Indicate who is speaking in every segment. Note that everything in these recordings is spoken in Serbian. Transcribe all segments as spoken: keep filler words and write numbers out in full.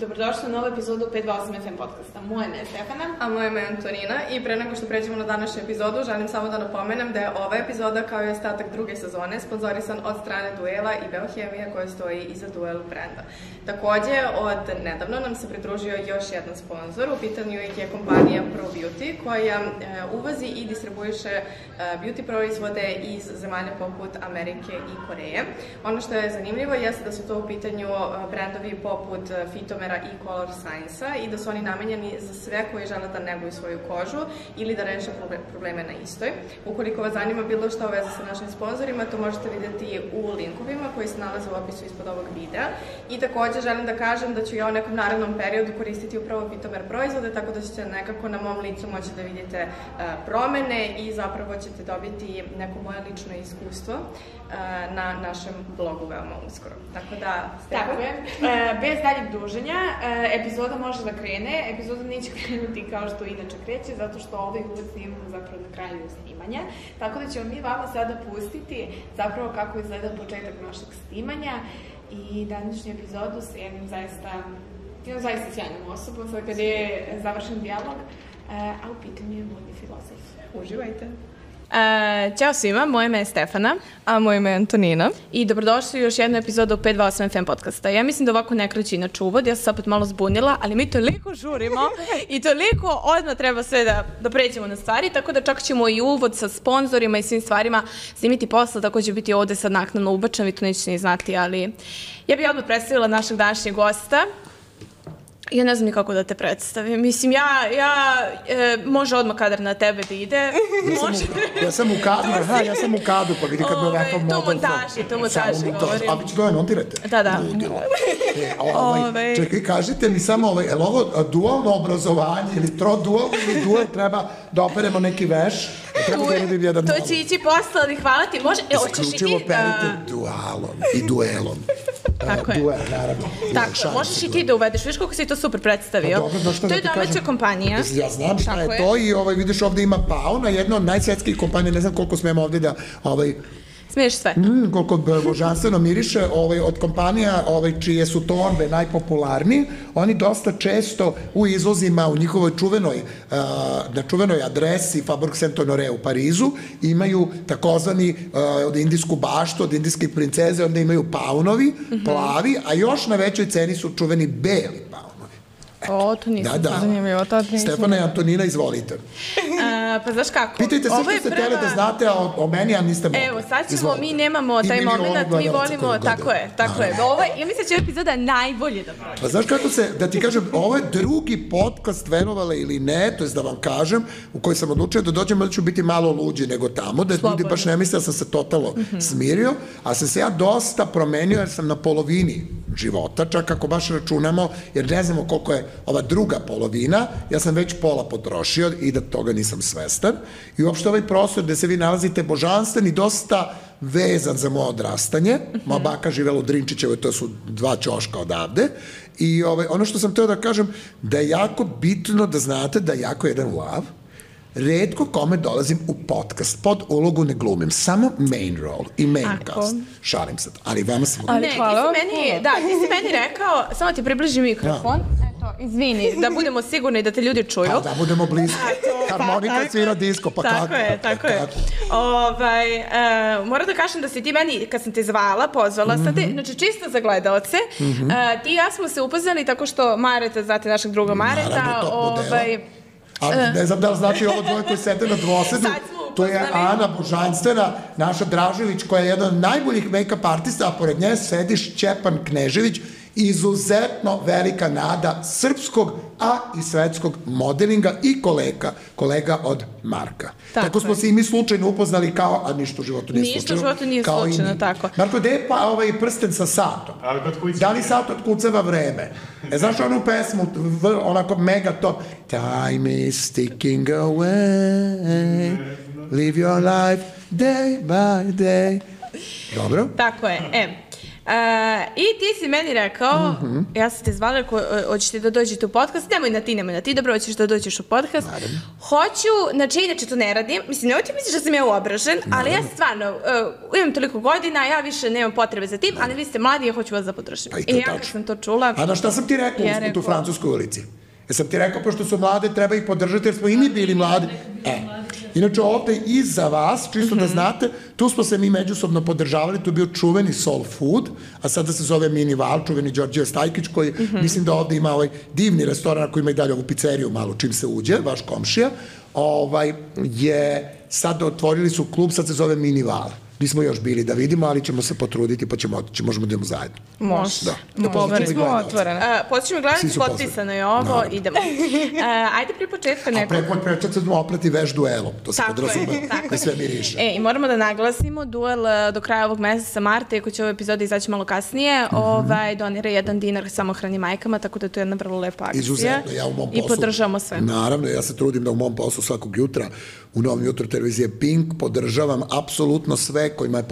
Speaker 1: Dobrodošli u novu epizodu pet dva osam F M podcasta. Moje ime je Stefana.
Speaker 2: A moje ime je Antonina i pre nego što pređemo na današnju epizodu, želim samo da napomenem da je ova epizoda kao i ostatak druge sezone sponzorisan od strane Duela i Biohemija koja stoji iza Duel brenda. Takođe, od nedavno nam se pridružio još jedan sponsor, u pitanju je kompanija ProBeauty koja e, uvozi i distribuiše e, beauty proizvode iz zemalja poput Amerike i Koreje. Ono što je zanimljivo jeste da su to u pitanju brendovi poput Fitomera i Color Science-a i da su oni namenjeni za sve koji žele da neguju svoju kožu ili da reše probleme na istoj. Ukoliko vas zanima bilo što u vezi sa našim sponsorima, to možete vidjeti u linkovima koji se nalaze u opisu ispod ovog videa. I takođe želim da kažem da ću ja u nekom narednom periodu koristiti upravo Fitomer proizvode, tako da ćete nekako na mom licu moći da vidite uh, promene i zapravo ćete dobiti neko moje lično iskustvo uh, na našem blogu veoma uskoro. Tako da, Stefan.
Speaker 1: Tako je. Uh, bez daljeg duženja, uh, epizoda može da krene. Epizoda neće krenuti kao što inače kreće, zato što ovaj uvod snimamo zapravo na kraju snimanja. Tako da ćemo mi vama sada pustiti zapravo kako izgleda početak našeg snimanja i današnju epizodu sa jednim zaista, jednom zaista sjajnom osobom, sad kada je završen dijalog, uh, a u pitanju je modni filozof.
Speaker 2: Uživajte!
Speaker 1: Uh, ćao svima, moje ime je Stefana.
Speaker 2: A moje ime je Antonina.
Speaker 1: I dobrodošli u još jednu epizodu pet dva osam F M podcasta. Ja mislim da ovako ne kreće inače uvod, ja sam se opet malo zbunila, ali mi toliko žurimo i toliko odmah treba sve da, da pređemo na stvari, tako da čak ćemo i uvod sa sponzorima i svim stvarima snimiti posle, tako će biti ovde sad naknadno ubačan, vi to nećete ni znati, ali ja bih odmah predstavila našeg današnjeg gosta. Ja ne znam ni kako da te predstavim. Mislim, ja, ja, e, može odmah kadar na tebe da ide.
Speaker 3: Ja sam,
Speaker 1: može...
Speaker 3: u, ja sam u kadu, aha, ja sam u kadu, pa vidi kad me ovakav model...
Speaker 1: To montaži, to montaži govorim.
Speaker 3: A vi ću to montirate?
Speaker 1: Da, da.
Speaker 3: E, ovaj, čekaj, kažite mi samo, ovaj, je li ovo dualno obrazovanje ili trodualno ili dual, treba da operemo neki veš? Treba da vidim jedan
Speaker 1: to će ići posle, ali hvala ti. Može, e, hoćeš i ti?
Speaker 3: Isključivo perite dualom i duelom.
Speaker 1: Tako je.
Speaker 3: Duel, naravno.
Speaker 1: Tako, možeš i ti da uvedeš. Viš koliko si to super predstavio. To je domaća kompanija.
Speaker 3: Ja znam šta je to i ovaj, vidiš ovde ima Pauna, jedna od najsvetskih kompanija, ne znam koliko smemo ovde da... Ovaj,
Speaker 1: smiješ sve.
Speaker 3: Mm, koliko božanstveno miriše, ovaj, od kompanija ovaj, čije su torbe najpopularniji, oni dosta često u izvozima u njihovoj čuvenoj, uh, na čuvenoj adresi Faubourg Saint-Honoré u Parizu imaju takozvani uh, od indijsku baštu, od indijske princeze, onda imaju paunovi, mm-hmm. plavi, a još na većoj ceni su čuveni beli paunovi.
Speaker 2: O, to nisam
Speaker 3: da, da.
Speaker 2: zanimljivo.
Speaker 3: Stefana i Antonina, izvolite.
Speaker 1: A, pa znaš kako?
Speaker 3: Pitajte sve što ste htjeli da znate o, o meni, a niste mogli.
Speaker 1: Evo, sad ćemo, izvolite. Mi nemamo taj moment, mi volimo, tako je, tako je. Ovo je, ja mislim da će epizoda najbolje da prođe.
Speaker 3: Pa znaš kako se, da ti kažem, ovo je drugi podcast, verovale ili ne, to je da vam kažem, u koji sam odlučio da dođem, da ću biti malo luđi nego tamo, da ljudi baš ne misle da sam se totalno mm-hmm. smirio, a sam se ja dosta promenio jer sam na polovini života, čak ako baš računamo, jer ne znamo koliko je ova druga polovina, ja sam već pola potrošio i da toga nisam svestan. I uopšte ovaj prostor gde se vi nalazite božanstven i dosta vezan za moje odrastanje. Moja baka živela u Drinčićevoj, to su dva ćoška odavde. I ovaj, ono što sam teo da kažem, da je jako bitno da znate da je jako jedan lav. Redko kome dolazim u podcast, pod ulogu ne glumim, samo main role i main Ako. cast. Šalim se, ali vama sam...
Speaker 1: Ne, ti si meni, da, ti si meni rekao, samo ti približi mikrofon, da. Eto, izvini, da budemo sigurni da te ljudi čuju.
Speaker 3: Pa da budemo blisko, harmonika svira disko, pa
Speaker 1: tako
Speaker 3: kako?
Speaker 1: Je, tako je, tako je. Ovaj, uh, moram da kažem da si ti meni, kad sam te zvala, pozvala, mm-hmm. sad te, znači čisto za gledalce, mm-hmm. uh, ti i ja smo se upoznali tako što Mareta, znate našeg druga Mareta,
Speaker 3: naravno,
Speaker 1: ovaj...
Speaker 3: Ali ne znam da li znači ovo dvoje koji sete na dvosedu, to je Ana Božanstvena, naša Dražević, koja je jedan od najboljih make-up artista, a pored nje sedi Šćepan Knežević, izuzetno velika nada srpskog, a i svetskog modelinga i kolega, kolega od Marka. Tako, tako smo se i mi slučajno upoznali kao, a ništa u životu nije
Speaker 1: ništa
Speaker 3: slučajno.
Speaker 1: Ništa u životu nije slučajno, tako.
Speaker 3: Marko, gde je pa ovaj prsten sa satom? Da li sat otkucava vreme? E, znaš onu pesmu, onako mega top, time is ticking away, live your life day by day. Dobro?
Speaker 1: Tako je, e. I ti si meni rekao, ja sam te zvala, hoćeš ti da dođete u podcast, nemoj na ti, nemoj na ti, dobro, hoćeš da dođeš u podcast. Hoću, znači, inače to ne radim, mislim, nemoj ti misliš da sam ja uobražen, ali ja stvarno, imam toliko godina, ja više nemam potrebe za tim, ali vi ste mladi, ja hoću vas da podržim. I ja kad sam to čula...
Speaker 3: A na šta sam ti rekao u tu Francuskoj ulici? Jesam ti rekao, pošto su mlade, treba ih podržati, jer smo i mi bili mladi. E, inače ovde i za vas, čisto da znate, tu smo se mi međusobno podržavali, tu je bio čuveni Soul Food, a sada se zove Mini Val, čuveni Đorđe Stajkić, koji mislim da ovde ima ovaj divni restoran koji ima i dalje ovu pizzeriju malo čim se uđe, vaš komšija, ovaj, je sad otvorili su klub, sad se zove Mini Val. Nismo još bili da vidimo, ali ćemo se potruditi pa ćemo otići, možemo da idemo zajedno.
Speaker 1: Može.
Speaker 3: Da.
Speaker 1: Može. Smo otvorene. Počnemo gledati, potpisano je ovo, idemo. Ajde pri početka neko...
Speaker 3: A pre početka ćemo oprati veš duelom, to se podrazume, da sve miriše.
Speaker 1: E, i moramo da naglasimo, duel do kraja ovog meseca marta, iako će ova epizoda izaći malo kasnije, donira jedan dinar samohranim majkama, tako da je to jedna vrlo lepa akcija.
Speaker 3: Izuzetno, ja u mom poslu...
Speaker 1: I podržavamo sve.
Speaker 3: Naravno, ja se trudim da u mom poslu svakog jutra u Novom jutru televizije Pink podržavam apsolutno sve kojima je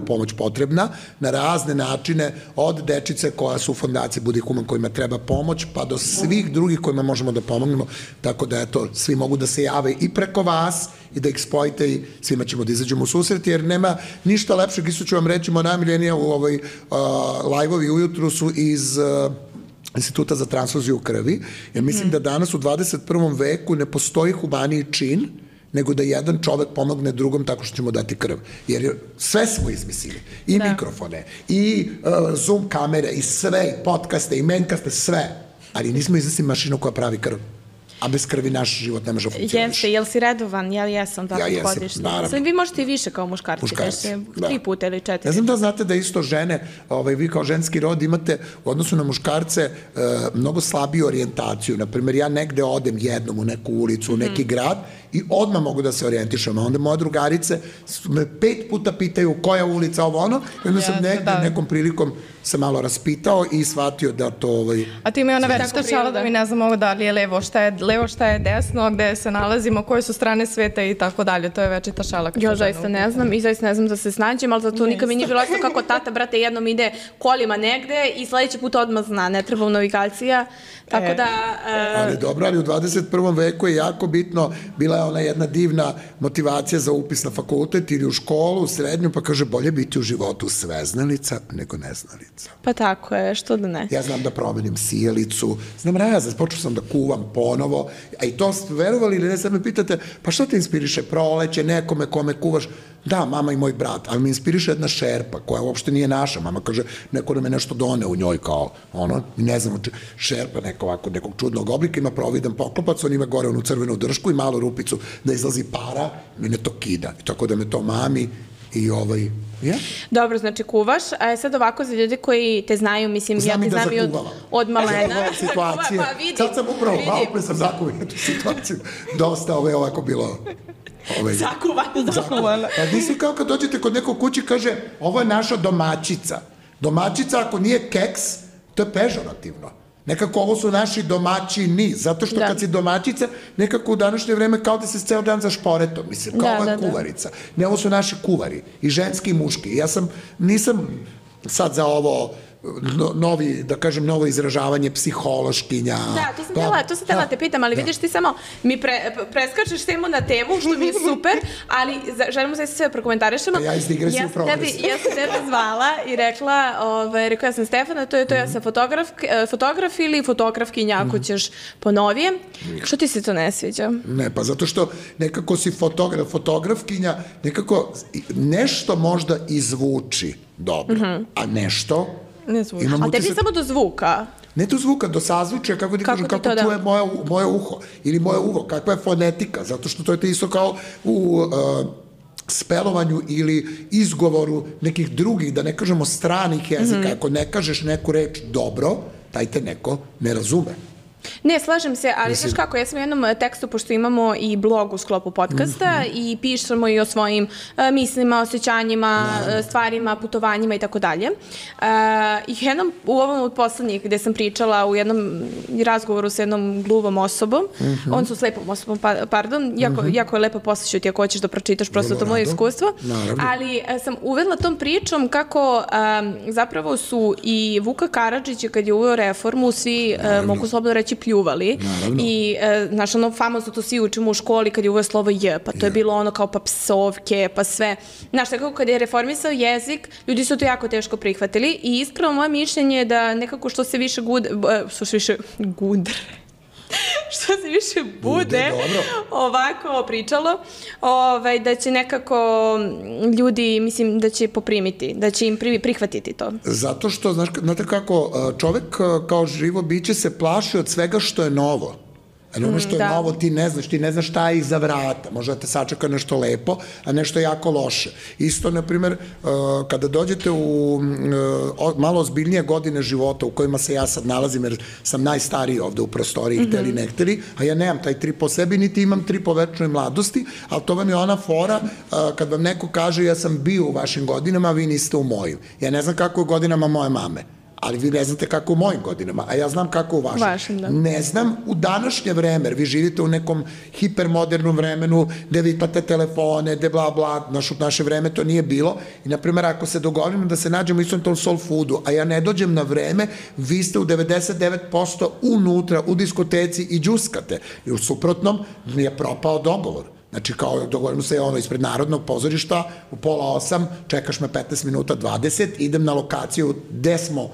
Speaker 3: pomoć potrebna na razne načine, od dečice koja su u fondaciji Budi human kojima treba pomoć, pa do svih drugih kojima možemo da pomognemo, tako da eto, svi mogu da se jave i preko vas i da ih spojite i svima ćemo da izađemo u susret, jer nema ništa lepšeg, isto ću vam reći, moja najmiljenija u ovoj live-ovi ujutru su iz... Instituta za transfuziju krvi, jer mislim da danas u dvadeset prvom veku ne postoji humaniji čin nego da jedan čovek pomogne drugom tako što ćemo dati krv. Jer sve smo izmislili. I mikrofone, i Zoom kamere, i sve, i podcaste, i menkaste, sve. Ali nismo izmislili mašinu koja pravi krv. A bez krvi naš život ne može funkcioniš.
Speaker 1: Jeste, jel si redovan? Ja jesam, da li hodiš?
Speaker 3: Naravno.
Speaker 1: Vi možete i više kao muškarci. Muškarci, da. Tri puta ili četiri.
Speaker 3: Ne znam da znate da isto žene, vi kao ženski rod imate u odnosu na muškarce mnogo slabiju orijentaciju. Naprimjer, ja negde odem jednom u neku ulicu, u neki grad i odmah mogu da se orijentišem. A onda moje drugarice me pet puta pitaju koja ulica, ovo ono, i onda sam negde nekom prilikom se malo raspitao i shvatio da to...
Speaker 2: A ti imaju ona večita šala da mi ne znamo da li je levo, šta je levo, šta je desno, gde se nalazimo, koje su strane sveta i tako dalje. To je večita šala.
Speaker 1: Ja zaista ne znam i zaista ne znam da se snađem, ali zato nikad mi nije bilo jasno kako tata, brate, jednom ide kolima negde i sledeći put odmah zna, ne treba u navigacija. Tako da...
Speaker 3: Ali dobro, ali u dvadeset prvom veku je jako bitno, bila je ona jedna divna motivacija za upis na fakultet ili u školu, u srednju, pa kaže bolje biti u životu sveznalica nego neznalica.
Speaker 1: Pa tako je, što da ne.
Speaker 3: Ja znam da promenim sjelicu, znam razred, počeo sam da kuvam ponovo, a i to ste verovali ili ne, sad me pitate, pa što te inspiriše proleće, nekome kome kuvaš? Da, mama i moj brat, ali me inspiriše jedna šerpa koja uopšte nije naša. Mama kaže, neko da me nešto done u njoj kao, ono, ne znam, šerpa neka ovako, nekog čudnog oblika, ima providan poklopac, on ima gore onu crvenu dršku i malu rupicu da izlazi para, mene to kida. I tako da me to mami i ovaj... Yeah.
Speaker 1: Dobro, znači kuvaš, a sad ovako za ljudi koji te znaju, mislim,
Speaker 3: znam
Speaker 1: ja te znam i od, od malena.
Speaker 3: Znam situacije, pa vidi, sad sam upravo, malo pre sam zakuvio tu situaciju, dosta ove ovako bilo...
Speaker 1: Ovaj, zakuvana.
Speaker 3: Zakuvana. Pa nisi kao kad dođete kod nekog kući, kaže, ovo je naša domaćica. Domaćica, ako nije keks, to je pežorativno. Nekako ovo su naši domaćini, zato što kad si domaćica, nekako u današnje vreme kao da se ceo dan za šporetom, mislim, kao ova kuvarica. Ne, ovo su naši kuvari, i ženski i muški. Ja sam, nisam sad za ovo novi, da kažem, novo izražavanje psihološkinja.
Speaker 1: Da, to sam tela, to sam tela te pitam, ali vidiš ti samo mi preskačeš temu na temu, što mi je super, ali želimo da se sve prokomentarišemo.
Speaker 3: A ja iz digresiju progres.
Speaker 1: Ja sam tebe zvala i rekla, rekao ja sam Stefana, to je to, ja sam fotograf ili fotografkinja, ako ćeš po novijem. Što ti se to ne sviđa?
Speaker 3: Ne, pa zato što nekako si fotograf, fotografkinja, nekako nešto možda izvuči dobro, a nešto...
Speaker 1: Ne zvuči. A tebi samo do zvuka?
Speaker 3: Ne do zvuka, do sazvučja, kako ti kažem, kako čuje moje uho ili moje uvo, kakva je fonetika, zato što to je isto kao u spelovanju ili izgovoru nekih drugih, da ne kažemo stranih jezika. Ako ne kažeš neku reč dobro, taj te neko ne razume.
Speaker 1: Ne, slažem se, ali znaš kako, ja sam u jednom tekstu, pošto imamo i blog u sklopu podcasta i pišemo i o svojim uh, mislima, osjećanjima, uh, stvarima, putovanjima i tako dalje. I jednom, u ovom od poslednjih gde sam pričala u jednom razgovoru sa jednom gluvom osobom, uh-huh. on su slepom osobom, pa, pardon, jako, uh-huh. jako je lepo posjeću ti ako hoćeš da pročitaš, prosto to moje iskustvo, naravno. Ali uh, sam uvedla tom pričom kako um, zapravo su i Vuka Karadžića kad je uveo reformu, svi uh, mogu slobodno reći pljuvali. Naravno. I, uh, znaš, ono famozno to svi učimo u školi kad je uveo slovo J, pa to je bilo ono kao pa psovke, pa sve. Znaš, tako kad je reformisao jezik, ljudi su to jako teško prihvatili i iskreno moje mišljenje je da nekako što se više gude, što se više gudre, što se više bude, bude ovako pričalo, ovaj, da će nekako ljudi, mislim, da će poprimiti, da će im prihvatiti to.
Speaker 3: Zato što, znaš, znate kako, čovek kao živo biće se plaši od svega što je novo. Ali ono što je da. novo ti ne znaš, ti ne znaš šta je iza vrata, možda te sačeka nešto lepo, a nešto jako loše. Isto, na primjer, kada dođete u malo ozbiljnije godine života u kojima se ja sad nalazim, jer sam najstariji ovde u prostoriji, mm-hmm. hteli ne hteli, a ja nemam taj tri po sebi, niti imam tri po večnoj mladosti, ali to vam je ona fora kad vam neko kaže ja sam bio u vašim godinama, a vi niste u mojim. Ja ne znam kako je godinama moje mame. Ali vi ne znate kako u mojim godinama, a ja znam kako u vašim. Vašim, da. Ne znam u današnje vreme, vi živite u nekom hipermodernom vremenu gde vi imate telefone, gde bla bla, naš, u naše vreme to nije bilo. I, na primjer, ako se dogovorimo da se nađemo istom tom soul foodu, a ja ne dođem na vreme, vi ste u devedeset devet posto unutra, u diskoteci i džuskate. I u suprotnom mi je propao dogovor. Znači, kao dogovorimo se ono ispred Narodnog pozorišta, u pola osam, čekaš me petnaest minuta, dvadeset, idem na lokaciju gde smo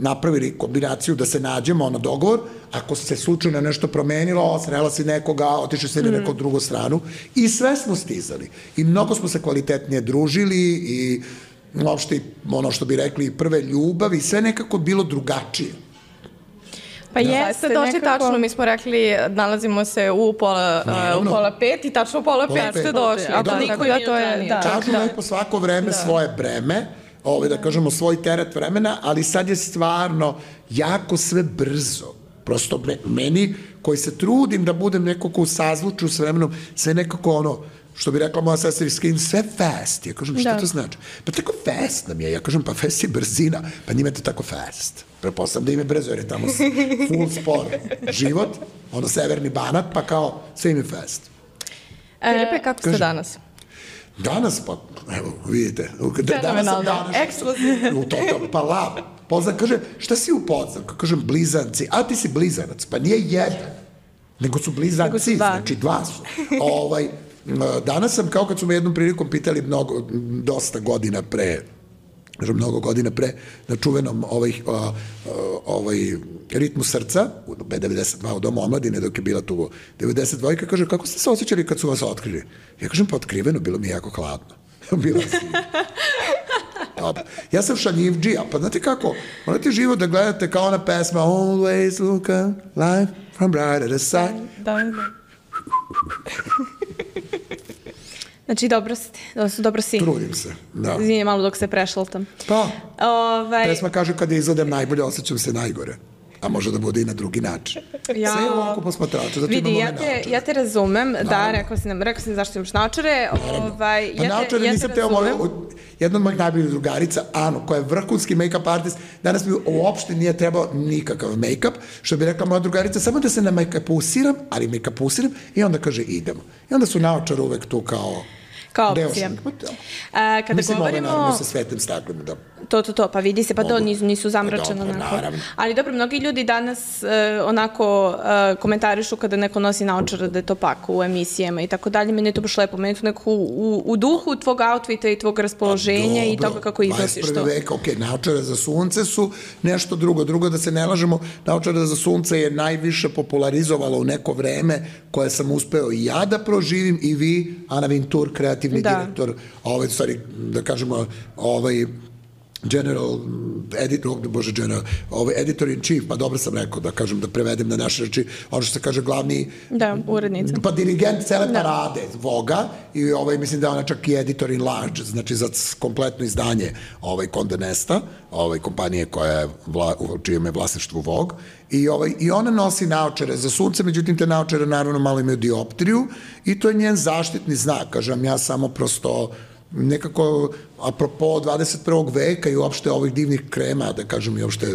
Speaker 3: napravili kombinaciju da se nađemo na dogovor, ako se slučajno nešto promenilo, srela si nekoga, otišli se na neku drugu stranu i sve smo stizali. I mnogo smo se kvalitetnije družili i uopšte ono što bi rekli prve ljubavi, sve nekako bilo drugačije.
Speaker 2: Pa da. Jeste, doći nekako... tačno, mi smo rekli, nalazimo se u pola, uh, u pola pet i tačno u pola, pola pet, pet ste došli. A da, niko da, to je...
Speaker 3: Da, tačno da. Po svako vreme da. Svoje breme, ovaj, da kažemo svoj teret vremena, ali sad je stvarno jako sve brzo. Prosto meni, koji se trudim da budem nekako u sazvuču s vremenom, sve nekako ono, što bi rekla moja sestra Skin, sve fast. Ja kažem, što da. To znači? Pa tako fast nam je. Ja kažem, pa fast je brzina. Pa njima je to tako fast. Prepostavljam da im je brzo, jer je tamo full spor život, ono severni Banat, pa kao sve im je fast.
Speaker 2: Filipe, kako ste danas?
Speaker 3: Danas, pa, evo, vidite, danas sam danas. Ekskluzivno. U total, pa lav. Poznan kaže, šta si u Podznan? Kažem, blizanci. A ti si blizanac. Pa nije jedan, nego su blizanci, znači dva su. Ovaj, danas sam, kao kad su me jednom prilikom pitali mnogo, dosta godina pre, mnogo godina pre, na čuvenom ovaj, ovaj ritmu srca, u B devedeset dva u Domu omladine, dok je bila tu devedeset dva, kaže, kako ste se osjećali kad su vas otkrili? Ja kažem, pa otkriveno, bilo mi je jako hladno. Bila sam. Ja sam šaljivdžija, pa znate kako, morate živo da gledate kao ona pesma Always look at life from brighter side. Da, da.
Speaker 1: Znači, dobro ste, dobro si.
Speaker 3: Trudim se, da.
Speaker 1: Izvinje malo dok se prešaltam.
Speaker 3: Pa, ovaj... pesma kaže kada izgledam najbolje, osjećam se najgore. A može da bude i na drugi način. Ja... Sve je ovako posmatrača, zato
Speaker 1: vidi,
Speaker 3: imamo
Speaker 1: ja te, ja te razumem, naravno. Da, rekao sam, rekao sam zašto imaš naočare. Ovaj,
Speaker 3: pa ja naočare ja nisam teo, jedna od mojih najboljih drugarica, Ano, koja je vrhunski make-up artist, danas mi uopšte nije trebao nikakav make-up, što bi rekla moja drugarica, samo da se na make-upiram, ali make-upiram i onda kaže idemo. I onda su naočare uvek tu kao...
Speaker 1: Kao opcija. A, kada
Speaker 3: mislim,
Speaker 1: govorimo...
Speaker 3: Mislim, naravno sa svetlim staklom, da...
Speaker 1: To, to, to, pa vidi se, pa to nisu, nisu zamračeno. Pa dobro, naravno. Ali dobro, mnogi ljudi danas e, onako e, komentarišu kada neko nosi naočare da je to pak u emisijama i tako dalje. Meni je to baš lepo, meni je to neko u, u duhu tvog outfita i tvog raspoloženja i toga kako iznosiš to.
Speaker 3: dvadeset prvi vek, ok, naočare za sunce su nešto drugo. Drugo, da se ne lažemo, naočare za sunce je najviše popularizovalo u neko vreme koje sam uspeo i ja da proživim i vi, Ana Vintur, kreativni da. Direktor, ovaj, stvari, da kažemo, ovaj, general, editor, bože, general, ovaj, editor in chief, pa dobro sam rekao da kažem, da prevedem na naše reči, ono što se kaže glavni...
Speaker 1: Da, urednica.
Speaker 3: Pa dirigent cele da. parade Voga i ovaj, mislim da je ona čak i editor in large, znači za kompletno izdanje ovaj, Condé Nasta, ovaj, kompanije koja je vla, u čijem je vlasništvu Vogue, i, ovaj, i ona nosi naočare za sunce, međutim te naočare naravno malo imaju dioptriju i to je njen zaštitni znak, kažem, ja samo prosto nekako, apropo dvadeset prvog veka i uopšte ovih divnih krema, da kažem i uopšte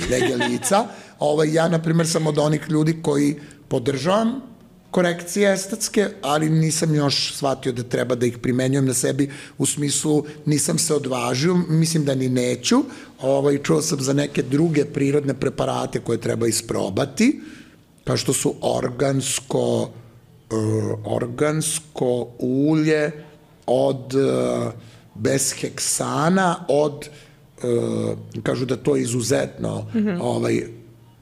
Speaker 3: nege lica, ovaj, ja, na primjer, sam od onih ljudi koji podržavam korekcije estetske, ali nisam još shvatio da treba da ih primenjujem na sebi, u smislu nisam se odvažio, mislim da ni neću, ovaj, čuo sam za neke druge prirodne preparate koje treba isprobati, kao što su organsko, uh, organsko ulje, od uh, bez heksana, od, uh, kažu da to je izuzetno, mm -hmm. ovaj,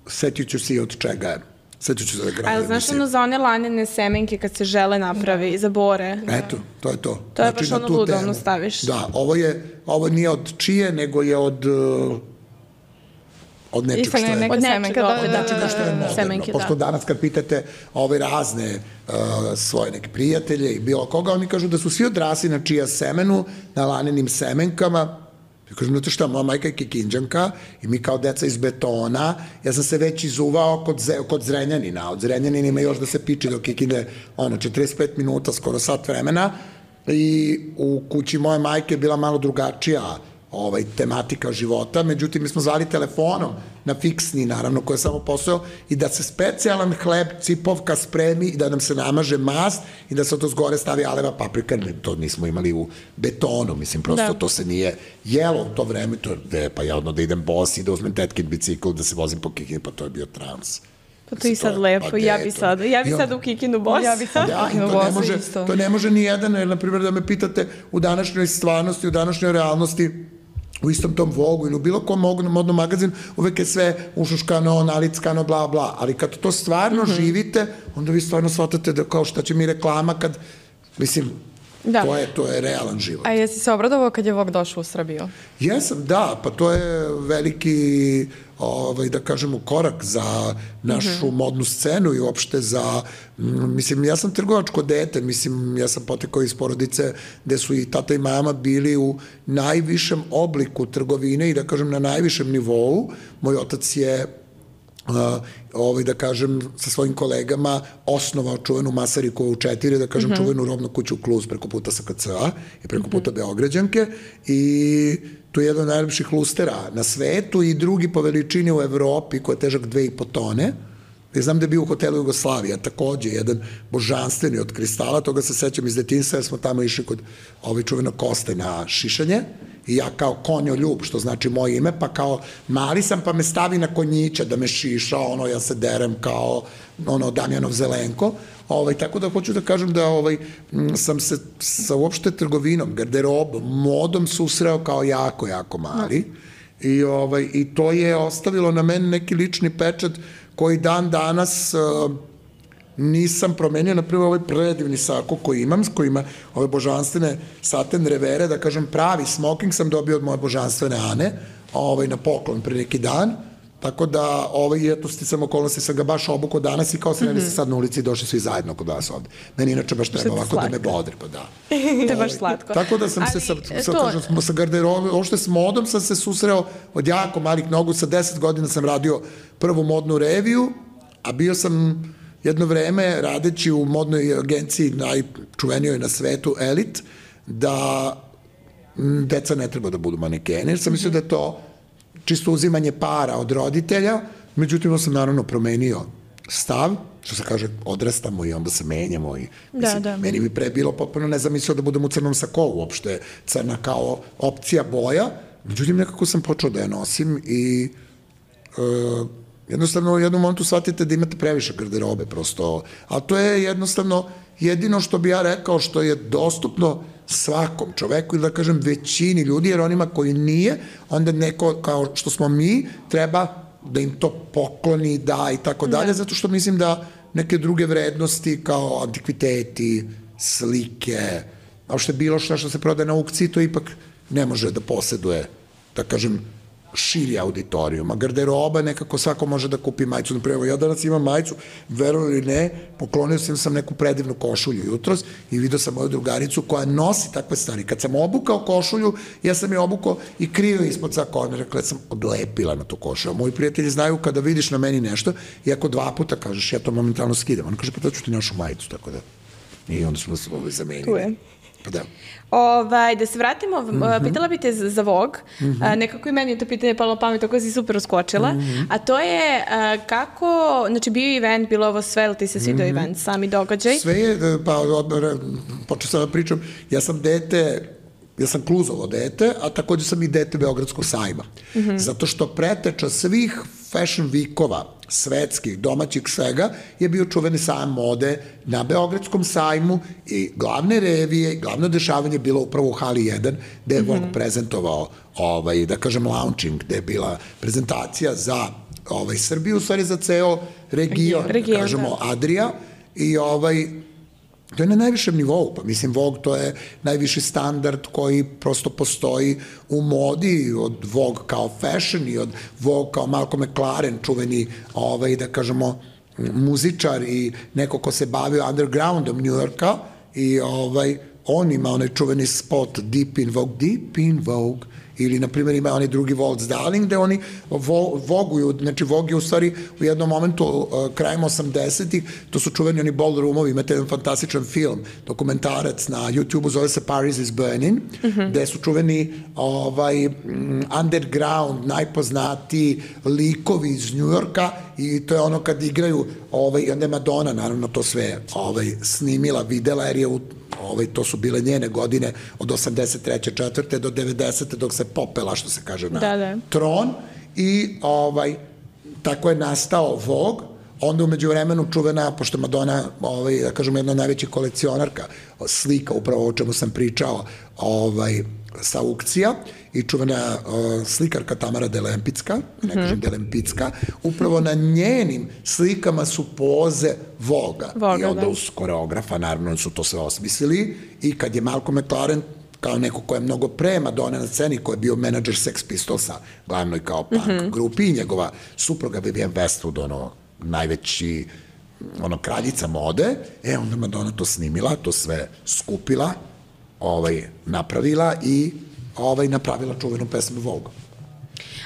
Speaker 3: setit ću se i od čega je. Setit ću se da gradim.
Speaker 1: Ali znaš ono za one lanene semenke kad se žele napravi, za bore?
Speaker 3: Eto, to je to.
Speaker 1: To je baš ono ludo, ono staviš.
Speaker 3: Da, ovo je, ovo nije od čije, nego je od... Uh, od nečeg što je...
Speaker 1: Od nečega, da,
Speaker 3: od nečega što je moderno. Semenke, pošto da. Danas kad pitate ove razne uh, svoje neke prijatelje i bilo koga, oni kažu da su svi odrasli na čija semenu, na lanenim semenkama. Ja kažem, znate šta, moja majka je Kikinđanka i mi kao deca iz betona, ja sam se već izuvao kod, ze, kod Zrenjanina. Od Zrenjanina ima još da se piči do Kikinde, ono, četrdeset pet minuta, skoro sat vremena, i u kući moje majke je bila malo drugačija ovaj, tematika života, međutim, mi smo zvali telefonom na fiksni, naravno, koji je samo posao, i da se specijalan hleb, cipovka spremi i da nam se namaže mast i da se to zgore stavi aleva paprika, to nismo imali u betonu, mislim, prosto da. To se nije jelo u to vreme, to je, pa ja odno da idem bos i da uzmem tetkin bicikl, da se vozim po Kikini, pa to je bio trans.
Speaker 1: Pa to je i sad lepo, ja bi sad, ja bi sad u Kikinu bos.
Speaker 2: Ja bi sad
Speaker 3: u Kikinu bos isto. To ne može ni jedan, jer, na primjer, da me pitate u današnjoj stvarnosti, u današnjoj realnosti, u istom tom Vogu ili u bilo kom modnom magazin, uvek je sve ušuškano, nalickano, bla, bla. Ali kad to stvarno mm -hmm. živite, onda vi stvarno shvatate da kao šta će mi reklama kad, mislim, da. to, je, to je realan život.
Speaker 2: A jesi se obradovao kad je Vogue došao u Srbiju?
Speaker 3: Jesam, da, pa to je veliki, ovaj, da kažemo, korak za našu mm -hmm. modnu scenu i uopšte za, mislim, ja sam trgovačko dete, mislim, ja sam potekao iz porodice gde su i tata i mama bili u najvišem obliku trgovine i da kažem na najvišem nivou. Moj otac je Uh, ovaj, da kažem, sa svojim kolegama osnovao čuvenu Masarikovu četiri, da kažem, mm -hmm. čuvenu robnu kuću Kluz preko puta S K C-a i preko puta mm -hmm. Beograđanke, i to je jedan od najlepših lustera na svetu i drugi po veličini u Evropi, koji je težak dve i po tone. Ja znam da je bio u hotelu Jugoslavija, takođe, jedan božanstveni od kristala, toga se sećam iz detinjstva, jer smo tamo išli kod ovaj čuvenog Koste na šišanje, i ja kao konjoljub, što znači moje ime, pa kao mali sam, pa me stavi na konjića da me šiša, ono, ja se derem kao, ono, Damjanov Zelenko, ovaj, tako da hoću da kažem da ovaj, sam se sa uopšte trgovinom, garderobom, modom susreo kao jako, jako mali, i, ovaj, i to je ostavilo na meni neki lični pečat koji dan danas uh, nisam promenio, na primjer, ovaj predivni sako koji imam, s kojima ove božanstvene saten revere, da kažem, pravi smoking sam dobio od moje božanstvene Ane, ovaj, na poklon pre neki dan, tako da, ovaj, eto, sticam okolnosti, sam ga baš obukao danas i kao sreli mm -hmm. se sad na ulici i došli svi zajedno kod vas ovde. Meni inače baš treba ovako slatko da me bodri, pa da.
Speaker 1: To je baš slatko.
Speaker 3: Tako da sam ali, se sa, sa, to... kažem, sa garderobom, uopšte s modom sam se susreo od jako malih nogu, sa deset godina sam radio prvu modnu reviju, a bio sam jedno vreme radeći u modnoj agenciji najčuvenijoj na svetu Elite, da deca ne treba da budu manekeni, jer sam mislio da je to čisto uzimanje para od roditelja, međutim, sam naravno promenio stav, što se kaže, odrastamo i onda se menjamo i mislim, da, da. Meni bi pre bilo potpuno nezamislio da budem u crnom sakovu, uopšte crna kao opcija boja, međutim, nekako sam počeo da je nosim i uh, jednostavno u jednom momentu shvatite da imate previše garderobe prosto, a to je jednostavno jedino što bi ja rekao što je dostupno svakom čoveku ili da kažem većini ljudi, jer onima koji nije, onda neko kao što smo mi treba da im to pokloni, da i tako dalje, zato što mislim da neke druge vrednosti kao antikviteti, slike, a što je bilo što što se prodaje na aukciji, to ipak ne može da poseduje da kažem, širi auditorijum, a garderoba nekako svako može da kupi majicu. Naprimer, ja danas imam majicu, verujem ili ne, poklonio sam sam neku predivnu košulju jutros i vidio sam moju drugaricu koja nosi takve stvari. Kad sam obukao košulju, ja sam je obukao i krio ispod svaka ona, rekla, ja sam odlepila na tu košulju. Moji prijatelji znaju kada vidiš na meni nešto i ako dva puta kažeš, ja to momentalno skidam. On kaže, pa to ću ti našu majicu, tako da. I onda smo se ovo zamenili.
Speaker 1: Tu je.
Speaker 3: Pa da.
Speaker 1: Ovaj, da se vratimo, mm -hmm. pitala bi te za Vogue, mm -hmm. nekako i meni je to pitanje palo pamet, tako si super uskočila, mm -hmm. a to je kako, znači bio event, bilo ovo sve, ili ti se svidio mm -hmm. event, sami događaj?
Speaker 3: Sve je, pa odmah, počeo sam da pričam, ja sam dete, ja sam Kluzovo dete, a takođe sam i dete Beogradskog sajma, mm -hmm. zato što preteča svih fashion weekova, svetskih, domaćih svega, je bio čuveni sajam mode na Beogradskom sajmu i glavne revije, glavno dešavanje je bilo upravo u hali jedan, gde je Vogue mm -hmm. prezentovao, ovaj, da kažem, launching, gde je bila prezentacija za ovaj, Srbiju, u stvari za ceo region,
Speaker 1: region
Speaker 3: da kažemo, da. Adria, i ovaj, to je na najvišem nivou, pa mislim Vogue to je najviši standard koji prosto postoji u modi, od Vogue kao fashion i od Vogue kao Malcolm McLaren, čuveni, ovaj, da kažemo, muzičar i neko ko se bavio undergroundom New Yorka i ovaj, on ima onaj čuveni spot Deep in Vogue, Deep in Vogue, ili, na primjer, ima onaj drugi Waltz Darling, gde oni vo, voguju, znači Vogue je u stvari u jednom momentu, uh, krajem osamdesetih, to su čuveni oni ballroomovi, imate jedan fantastičan film, dokumentarac na YouTube-u, zove se Paris is Burning, mm -hmm. gde su čuveni ovaj, underground, najpoznatiji likovi iz New Yorka i to je ono kad igraju, ovaj, onda je Madonna, naravno, to sve ovaj, snimila, videla, jer je u Ovaj, to su bile njene godine od osamdeset treće četvrte do devedesete dok se popela, što se kaže, na
Speaker 1: da, da.
Speaker 3: tron i ovaj, tako je nastao Vogue. Onda umeđu vremenu čuvena, pošto Madonna, ovaj, da kažem, jedna najveća kolekcionarka slika, upravo o čemu sam pričao, ovaj, sa aukcija, i čuvena uh, slikarka Tamara Delempicka, ne kažem mm -hmm. Delempicka, upravo na njenim slikama su poze Voga.
Speaker 1: Voga,
Speaker 3: i onda
Speaker 1: da.
Speaker 3: uz koreografa, naravno, su to sve osmislili, i kad je Malcolm McLaren, kao neko ko je mnogo pre Madonna na sceni, ko je bio menadžer Sex Pistolsa, glavnoj kao punk mm -hmm. grupi, i njegova supruga Vivienne Westwood, ono, najveći, ono, kraljica mode, e, onda Madonna to snimila, to sve skupila, ovaj, napravila i ovaj, napravila čuvenu pesmu Vogue.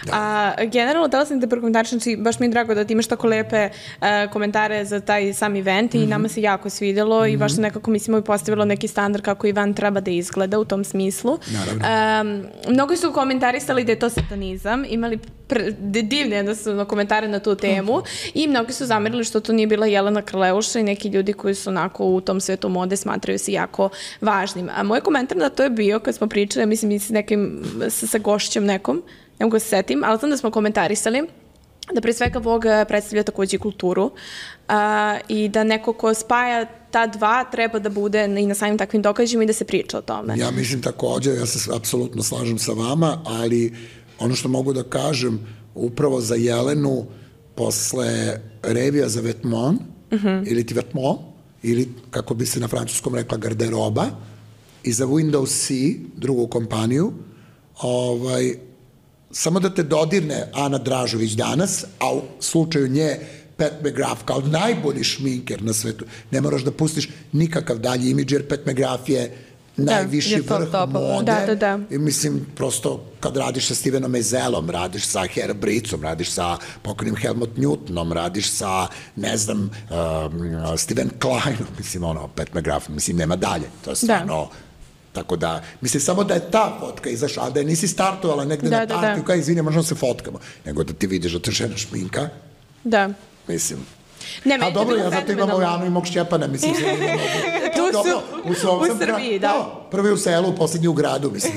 Speaker 1: Da. A, generalno, da li sam te prokomentarišem, znači, baš mi je drago da ti imaš tako lepe uh, komentare za taj sam event i mm -hmm. nama se jako svidelo mm -hmm. i baš se nekako, mislimo, i postavilo neki standard kako event treba da izgleda u tom smislu.
Speaker 3: Naravno.
Speaker 1: Um, mnogo su komentarisali da je to satanizam, imali pr divne jednostavno komentare na tu temu i mnogi su zamerili što to nije bila Jelena Krleuša i neki ljudi koji su onako u tom svetu mode smatraju se jako važnim. A moj komentar na to je bio, kad smo pričali, mislim, i s nekim, sa, sa gošćem nekom, ne mogu se setim, ali znam da smo komentarisali da pre svega Vogue predstavlja takođe i kulturu a, i da neko ko spaja ta dva treba da bude i na samim takvim događajima i da se priča o tome.
Speaker 3: Ja mislim takođe, ja se apsolutno slažem sa vama, ali ono što mogu da kažem upravo za Jelenu posle revija za Vetements, mm -hmm. ili ti Vetements, ili kako bi se na francuskom rekla garderoba, i za Windows C, drugu kompaniju, ovaj, samo da te dodirne Ana Dražović danas, a u slučaju nje Pat McGrath kao najbolji šminker na svetu. Ne moraš da pustiš nikakav dalji imidž, jer Pat McGrath je najviši
Speaker 1: da,
Speaker 3: vrh
Speaker 1: top,
Speaker 3: mode.
Speaker 1: Da, da, da.
Speaker 3: I mislim, prosto kad radiš sa Stevenom Meiselom, radiš sa Hera Bricom, radiš sa pokojnim Helmut Newtonom, radiš sa, ne znam, um, Steven Kleinom, mislim, ono, Pat McGrath, mislim, nema dalje. To je stvarno... Da. Tako da, mislim, samo da je ta fotka izašla, a da je nisi startovala negde da, na partiju, da, da. Kao, izvini, možemo se fotkamo, nego da ti vidiš da te žena šminka.
Speaker 1: Da.
Speaker 3: Mislim.
Speaker 1: Ne,
Speaker 3: a dobro, ja zato imam Ojanu i mog Šćepana, mislim.
Speaker 1: Tu su, u, u Srbiji, da.
Speaker 3: da. Prvi u selu, poslednji u gradu, mislim.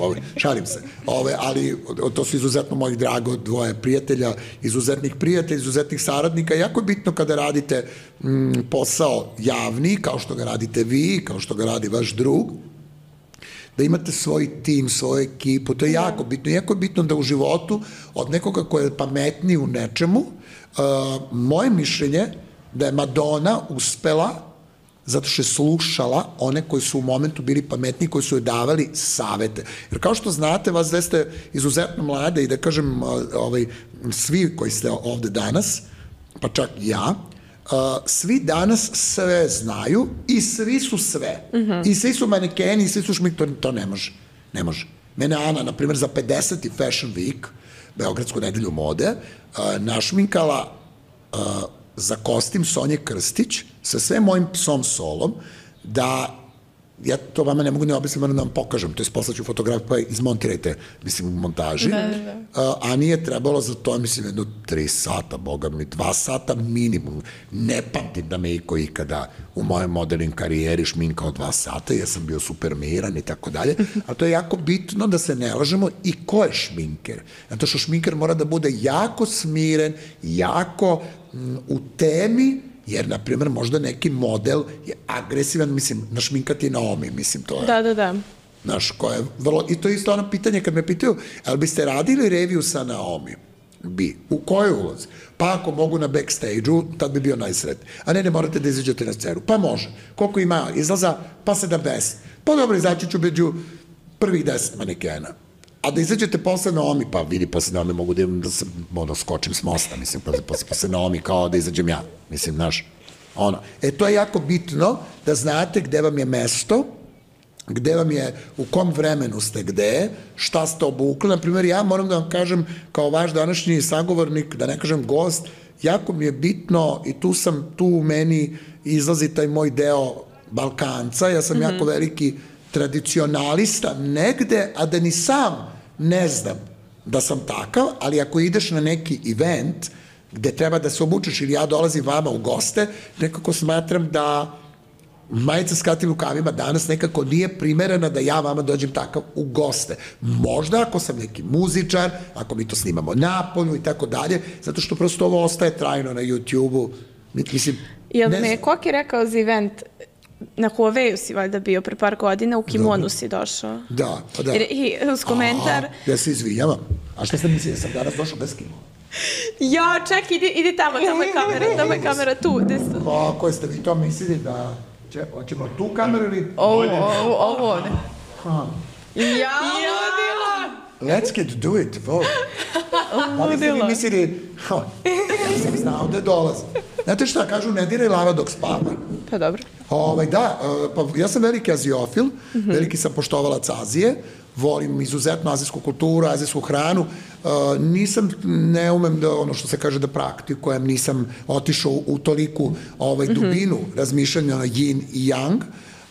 Speaker 3: Ove, šalim se. Ove, ali to su izuzetno mojih drago dvoje prijatelja, izuzetnih prijatelja, izuzetnih saradnika. Jako je bitno kada radite mm, posao javni, kao što ga radite vi, kao što ga radi vaš drug, da imate svoj tim, svoju ekipu. To je jako bitno. Jako je bitno da u životu od nekoga ko je pametniji u nečemu, Uh, moje mišljenje da je Madonna uspela zato što je slušala one koji su u momentu bili pametni, koji su joj davali savete. Jer kao što znate, vas da ste izuzetno mlade i da kažem, ovaj, svi koji ste ovde danas, pa čak i ja, Uh, svi danas sve znaju i svi su sve. Mm-hmm. I svi su manekeni, i svi su šmink, to, to ne može. Ne može. Mene Ana, na primjer, za pedeseti Fashion Week, Beogradsku nedelju mode, uh, našminkala uh, za kostim Sonje Krstić sa sve mojim psom Solom, da ja to vama ne mogu ne objasniti, moram da vam pokažem, to je poslaću fotografiju, pa izmontirajte, mislim, u montaži. Da, da. Uh, a nije trebalo za to, mislim, jedno tri sata, boga mi, dva sata minimum. Ne pamtim da me iko ikada u mojoj modelnim karijeri šminkao dva sata, jer sam bio super miran i tako dalje, a to je jako bitno da se ne lažemo i ko je šminker. Zato što šminker mora da bude jako smiren, jako m, u temi, jer, na primjer, možda neki model je agresivan, mislim, našminkati Naomi, mislim, to je...
Speaker 1: Da, da, da.
Speaker 3: Znaš, ko je vrlo... I to je isto ono pitanje kad me pitaju, ali biste radili reviju sa Naomi? Bi. U kojoj ulozi? Pa ako mogu na backstage-u, tad bi bio najsretniji. A ne, ne morate da izađete na scenu. Pa može. Koliko ima izlaza? Pa sedamdeset. Pa dobro, izaći ću među prvih deset manekena. A da izađete posle Naomi, pa vidi, posle Naomi mogu da, da, se, da skočim s mosta, mislim, posle, posle, posle Naomi kao da izađem ja, mislim, znaš, ono. E, to je jako bitno da znate gde vam je mesto, gde vam je, u kom vremenu ste gde, šta ste obukli. Naprimjer, ja moram da vam kažem, kao vaš današnji sagovornik, da ne kažem gost, jako mi je bitno, i tu sam, tu u meni izlazi taj moj deo Balkanca, ja sam mm-hmm. jako veliki tradicionalista negde, a da ni sam ne znam da sam takav, ali ako ideš na neki event gde treba da se obučeš ili ja dolazim vama u goste, nekako smatram da majica s kratkim rukavima danas nekako nije primerena da ja vama dođem takav u goste. Možda ako sam neki muzičar, ako mi to snimamo napolju i tako dalje, zato što prosto ovo ostaje trajno na YouTube-u. Mislim,
Speaker 1: Jel me Koki rekao za event, na Huawei-u si valjda bio pre par godina, u kimonu da, si došao.
Speaker 3: Da, pa da.
Speaker 1: I, i uz komentar...
Speaker 3: Aha, ja se izvinjavam. A šta ste mislili, da sam danas došao bez kimona?
Speaker 1: Ja, ček, idi, idi tamo, tamo je kamera, tamo je kamera tu.
Speaker 3: Pa, koje ste vi to mislili da... Če, hoćemo tu kameru ili...
Speaker 1: Ovo, ovo, ovo ovde.
Speaker 3: Ha.
Speaker 1: Ja, ludila!
Speaker 3: Let's get do it, vo. Da li ste vi mislili... Ha, ja sam znao da dolazi. Znate šta, kažu, ne diraj lava dok spava.
Speaker 1: Pa dobro.
Speaker 3: Ovaj, da, pa ja sam veliki aziofil, mm-hmm. veliki sam poštovalac Azije, volim izuzetno azijsku kulturu, azijsku hranu, uh, nisam, ne umem da, ono što se kaže da praktikujem, nisam otišao u toliku ovaj, dubinu mm-hmm. razmišljanja na yin i yang,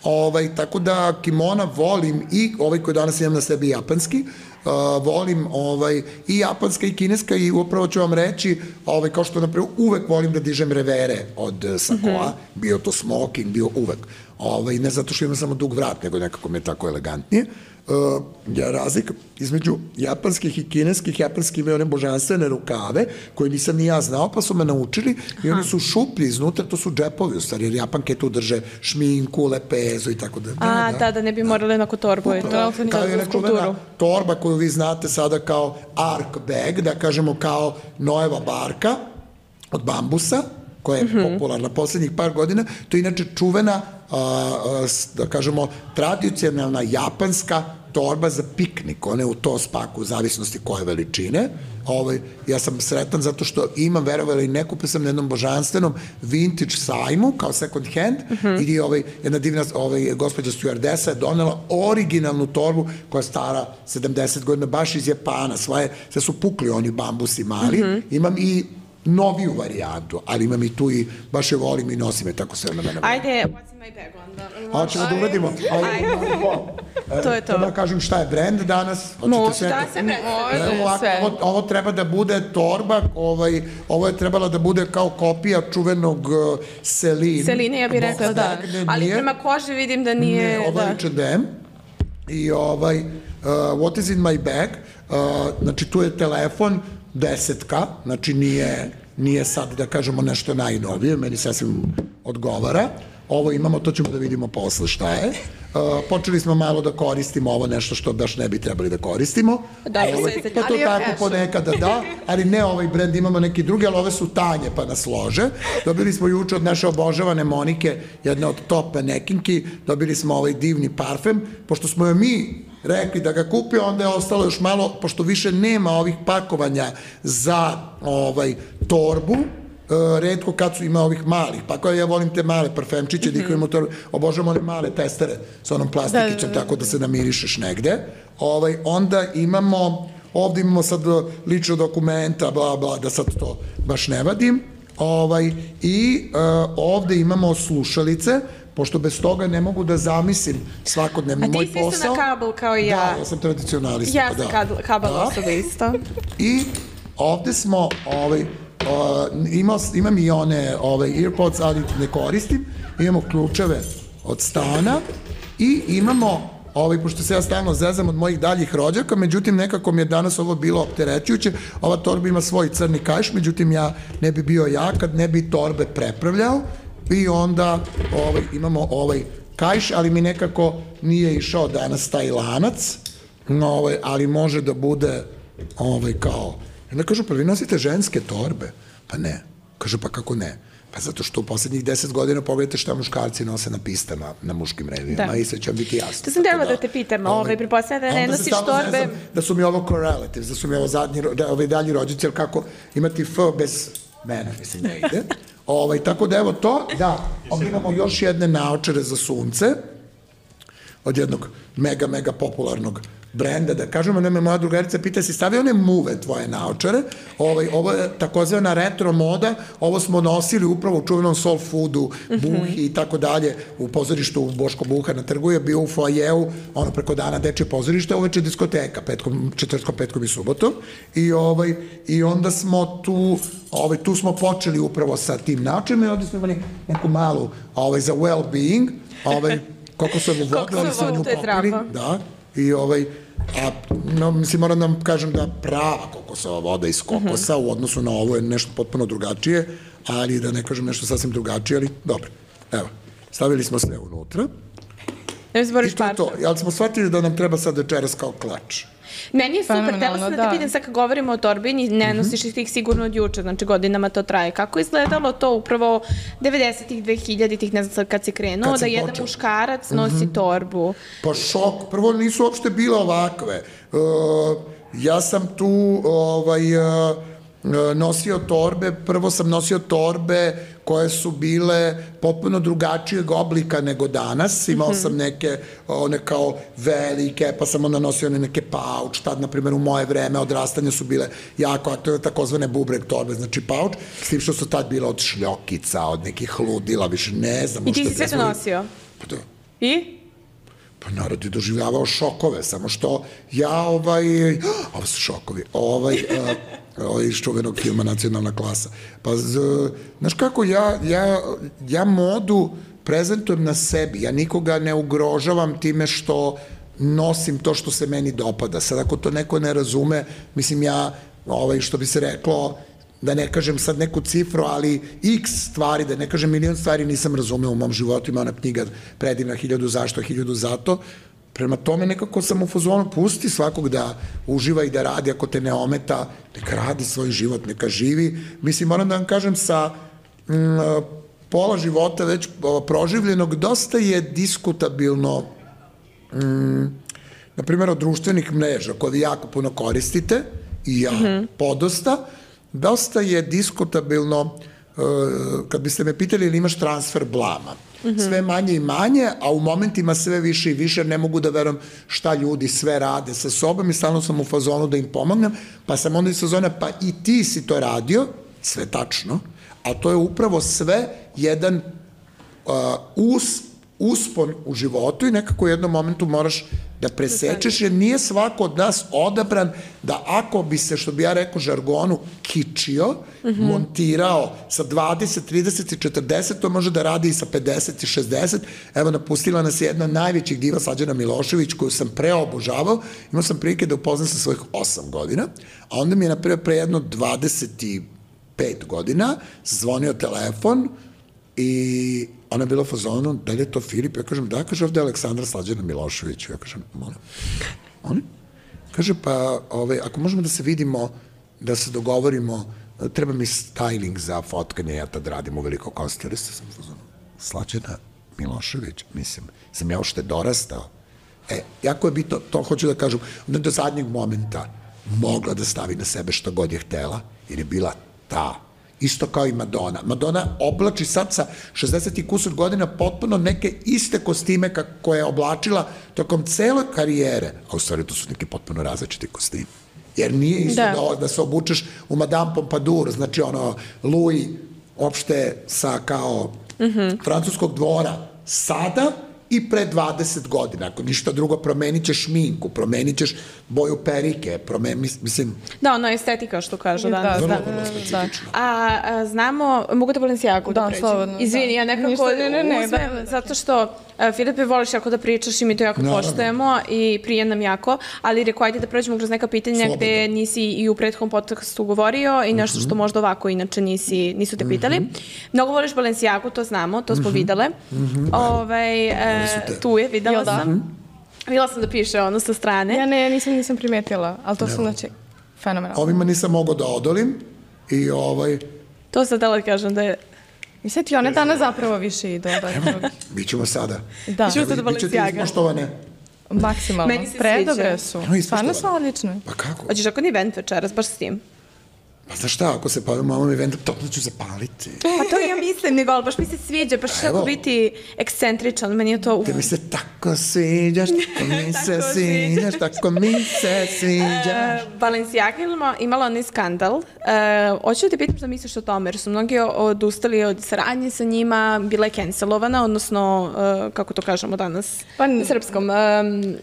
Speaker 3: ovaj, tako da kimona volim i ovaj koji danas imam na sebi japanski, Uh, volim ovaj, i japanska i kineska i upravo ću vam reći, ovaj, kao što napravo uvek volim da dižem revere od uh, sakoa, mm-hmm. bio to smoking, bio uvek. Ovaj, ne zato što imam samo dug vrat, nego nekako me tako elegantnije. Uh, ja razlika između japanskih i kineskih, japanski imaju one božanstvene rukave koje nisam ni ja znao, pa su me naučili i oni su šuplji iznutra, to su džepovi u stvari, jer japanke tu drže šminku, lepezu i tako da.
Speaker 1: A, da, da ne bi morali onako torbu i to.
Speaker 3: Kao je nečuvena torba koju vi znate sada kao ark bag, da kažemo kao Noeva barka od bambusa, koja je mm-hmm. popularna poslednjih par godina, to je inače čuvena, a, a, da kažemo, tradicionalna japanska torba za piknik, one u to spaku, u zavisnosti koje veličine. Ovaj, ja sam sretan zato što imam, verovali i ne kupio sam na jednom božanstvenom vintage sajmu, kao second hand, mm-hmm. i ovaj, jedna divna ovaj, gospođa stewardesa je donela originalnu torbu koja je stara sedamdeset godina, baš iz Japana, svoje, sve su pukli oni bambusi mali. Mm-hmm. Imam i noviju varijantu, ali imam i tu i baš je volim i nosim je tako sve na mene.
Speaker 1: Ajde, what's in my bag onda?
Speaker 3: A ćemo da uradimo.
Speaker 1: Ajde. To je to.
Speaker 3: Da kažem šta je brand danas.
Speaker 1: Može, šta se može, sve.
Speaker 3: Ovo, ovo treba da bude torba, ovaj, ovo je trebala da bude kao kopija čuvenog uh, Celine.
Speaker 1: Celine, ja bih rekla, da. Ali prema koži vidim da nije...
Speaker 3: Ne, ovo je H and M. I ovaj, uh, what is in my bag? Uh, znači, tu je telefon, desetka, znači nije, nije sad da kažemo nešto najnovije, meni sasvim odgovara. Ovo imamo, to ćemo da vidimo posle šta je. Uh, počeli smo malo da koristimo ovo nešto što baš ne bi trebali da koristimo.
Speaker 1: Da,
Speaker 3: ovaj,
Speaker 1: se
Speaker 3: pa to
Speaker 2: ali je
Speaker 3: tako
Speaker 2: fashion.
Speaker 3: ponekada da, ali ne ovaj brend, imamo neki drugi, ali ove su tanje pa nas lože. Dobili smo juče od naše obožavane Monike, jedne od top manekinki, dobili smo ovaj divni parfem, pošto smo joj mi rekli da ga kupi, onda je ostalo još malo, pošto više nema ovih pakovanja za ovaj torbu, Uh, redko kad su ima ovih malih, pa kao ja volim te male parfemčiće, mm-hmm. da ih imamo to, obožavam one male testere sa onom plastikicom, da, da, da. Tako da se namirišeš negde. Ovaj, onda imamo, ovde imamo sad lično dokumenta, bla, bla, da sad to baš ne vadim. Ovaj, I uh, ovde imamo slušalice, pošto bez toga ne mogu da zamislim svakodnevni moj posao.
Speaker 1: A ti si isto na kabel kao i ja.
Speaker 3: Da, ja sam tradicionalista.
Speaker 1: Ja sam da. kabel da. osoba isto.
Speaker 3: I ovde smo, ovaj, Uh, ima, imam i one ovaj, earpods, ali ne koristim. Imamo ključeve od stana i imamo, ovaj, pošto se ja stalno zezam od mojih daljih rođaka, međutim nekako mi je danas ovo bilo opterećujuće. Ova torba ima svoj crni kaiš, međutim ja ne bi bio ja kad ne bi torbe prepravljao i onda ovaj, imamo ovaj kaiš, ali mi nekako nije išao danas taj lanac, no, ovaj, ali može da bude ovaj, kao. I onda kažu, pa vi nosite ženske torbe? Pa ne. Kažu, pa kako ne? Pa zato što u poslednjih deset godina pogledajte šta muškarci nose na pistama, na muškim revijama, da. I sve će vam biti jasno.
Speaker 1: To sam trebala da, da te pitam, ovaj, ovaj pripostavljam da ne nosiš torbe.
Speaker 3: Da su mi ovo correlatives, da su mi ovo zadnji, da, ovaj dalji rođici, jer kako imati F bez mene, mislim, ne ide. Ovaj, tako da evo to, da, ovdje imamo još jedne naočare za sunce, od jednog mega, mega popularnog brenda, da kažemo, nema moja drugarica pita si stavio one muve tvoje naočare, ovaj, ovo je takozvana retro moda, ovo smo nosili upravo u čuvenom soul foodu, Buhi i tako dalje, u pozorištu u Boško Buha na trgu je bio u foajeu, ono preko dana dečje pozorište, uveče diskoteka, petkom, četvrtkom, petkom i subotom, i, ovaj, i onda smo tu, ovaj, tu smo počeli upravo sa tim naočarima i ovdje smo imali neku malu ovaj, za well-being, ovaj, koliko su ovo vodili, ali smo nju popili, da, i ovaj, a, no, mislim, moram da vam kažem da prava kokosova voda iz kokosa uh -huh. u odnosu na ovo je nešto potpuno drugačije, ali da ne kažem nešto sasvim drugačije, ali dobro, evo, stavili smo sve unutra.
Speaker 1: Ne mi
Speaker 3: i to je to, ali smo shvatili da nam treba sad večeras kao klač.
Speaker 1: Meni je super, htela sam da te pitam sad kad govorimo o torbi, ne nosiš ih tih sigurno od juče, znači godinama to traje. Kako izgledalo to upravo devedesetih, dvehiljaditih, ne znam sad kad si krenuo, da jedan muškarac nosi torbu?
Speaker 3: Pa šok, prvo nisu uopšte bile ovakve. Ja sam tu ovaj, nosio torbe, prvo sam nosio torbe koje su bile potpuno drugačijeg oblika nego danas. Imao sam neke, one kao velike, pa sam onda nosio one neke pauč, tad, na primjer, u moje vreme odrastanja su bile jako aktivne, takozvane bubreg torbe, znači pauč, s tim što su tad bile od šljokica, od nekih ludila, više ne znam.
Speaker 1: I ti si sve to nosio?
Speaker 3: Pa da.
Speaker 1: I?
Speaker 3: Pa narod je doživljavao šokove, samo što ja ovaj, ovo su šokovi, ovaj, ovaj iz čuvenog filma Nacionalna klasa. Pa, znaš kako, ja, ja, ja modu prezentujem na sebi, ja nikoga ne ugrožavam time što nosim to što se meni dopada. Sad ako to neko ne razume, mislim ja, ovaj, što bi se reklo, da ne kažem sad neku cifru, ali x stvari, da ne kažem milion stvari nisam razumeo u mom životu, ima ona knjiga predivna hiljadu zašto, hiljadu zato. Prema tome nekako sam u fazonu, pusti svakog da uživa i da radi, ako te ne ometa, neka radi svoj život, neka živi. Mislim, moram da vam kažem, sa m, pola života već proživljenog, dosta je diskutabilno, m, na primjer, od društvenih mreža, koje vi jako puno koristite, i ja mm-hmm. podosta, dosta je diskutabilno, uh, kad biste me pitali ili imaš transfer blama. Mm-hmm. Sve manje i manje, a u momentima sve više i više, ne mogu da verujem šta ljudi sve rade sa sobom i stalno sam u fazonu da im pomognem, pa sam onda iz fazona, pa i ti si to radio, sve tačno, a to je upravo sve jedan uh, us, uspon u životu i nekako u jednom momentu moraš da presečeš, jer nije svako od nas odabran da ako bi se, što bi ja rekao žargonu, kičio, mm-hmm. montirao sa dvadeset, trideset i četrdeset, to može da radi i sa pedeset i šezdeset. Evo, napustila nas je jedna od najvećih diva, Slađana Milošević, koju sam preobožavao. Imao sam prilike da upoznam sa svojih osam godina, a onda mi je napravo pre jedno dvadeset pet godina zvonio telefon i ona je bila u fazonu, da li je to Filip? Ja kažem, da, kaže, ovde je Aleksandra Slađana Milošević. Ja kažem, molim. Oni? Kaže, pa, ovaj, ako možemo da se vidimo, da se dogovorimo, treba mi styling za fotkanje, ja tad radim u Veliko Kosteliste, sam u fazonu, Slađana Milošević, mislim, sam ja ošte dorastao. E, jako je bitno, to hoću da kažem, onda do zadnjeg momenta mogla da stavi na sebe što god je htela, jer je bila ta. Isto kao i Madonna. Madonna oblači sad sa šezdeset i kusur godina potpuno neke iste kostime koje je oblačila tokom cele karijere, a u stvari to su neki potpuno različiti kostimi. Jer nije isto da, da, da se obučeš u Madame Pompadour, znači ono, Louis, opšte sa kao mm-hmm. francuskog dvora sada i pre dvadeset godina. Ako ništa drugo, promenit ćeš šminku, promenit ćeš boju perike, promen, mislim...
Speaker 1: Da, ono estetika što kažu danas.
Speaker 3: Vrlo,
Speaker 1: da,
Speaker 3: vrlo specifično.
Speaker 1: A, a znamo, mogu da Balenciagu da, da pređem?
Speaker 2: Slobodno,
Speaker 1: Izvini,
Speaker 2: da.
Speaker 1: ja nekako
Speaker 2: Ništa, ne, ne, ne,
Speaker 1: uzmem,
Speaker 2: da, da,
Speaker 1: zato što a, Filipe, voliš jako da pričaš i mi to jako
Speaker 3: Naravno.
Speaker 1: poštujemo i prije nam jako, ali rekao, ajde da pređemo kroz neka pitanja
Speaker 3: Slobodno.
Speaker 1: gde nisi i u prethodnom podcastu govorio i nešto što možda ovako inače nisi, nisu te pitali. Mnogo voliš Balenciagu, to znamo, to smo videle. Ovaj, e, tu je, videla sam. Videla sam da piše ono sa strane.
Speaker 2: Ja ne, nisam, nisam primetila, ali to su znači fenomenalno.
Speaker 3: Ovima nisam mogao da odolim i ovaj...
Speaker 1: To sad da li kažem da je...
Speaker 2: I sad ti one danas zapravo više idu.
Speaker 3: Evo, bit ćemo sada.
Speaker 2: Da.
Speaker 1: Bićemo sada Balenciaga.
Speaker 3: Bićete izmoštovane.
Speaker 2: Maksimalno.
Speaker 1: Meni se
Speaker 2: Predobre
Speaker 1: sviđa.
Speaker 2: su.
Speaker 3: Evo,
Speaker 2: Stvarno su
Speaker 3: ispoštovane.
Speaker 2: odlične.
Speaker 3: Pa kako?
Speaker 1: Hoćeš ako ni event večeras, baš s tim?
Speaker 3: Pa znaš šta, ako se pavim mamom eventom, topno ću zapaliti.
Speaker 1: Pa to ja mislim, nego, ali baš mi se sviđa, baš
Speaker 3: Evo.
Speaker 1: kako biti ekscentričan, meni je to... uf.
Speaker 3: Te mi se tako sviđaš, tako mi se
Speaker 1: Tako
Speaker 3: sviđaš, tako mi se sviđaš.
Speaker 1: E, Balenciaga imala, imala onaj skandal. E, hoću da te pitam šta misliš o tome, jer su mnogi odustali od saradnje sa njima, bila je cancelovana, odnosno, e, kako to kažemo danas,
Speaker 2: Pa,
Speaker 1: na srpskom. E, mm,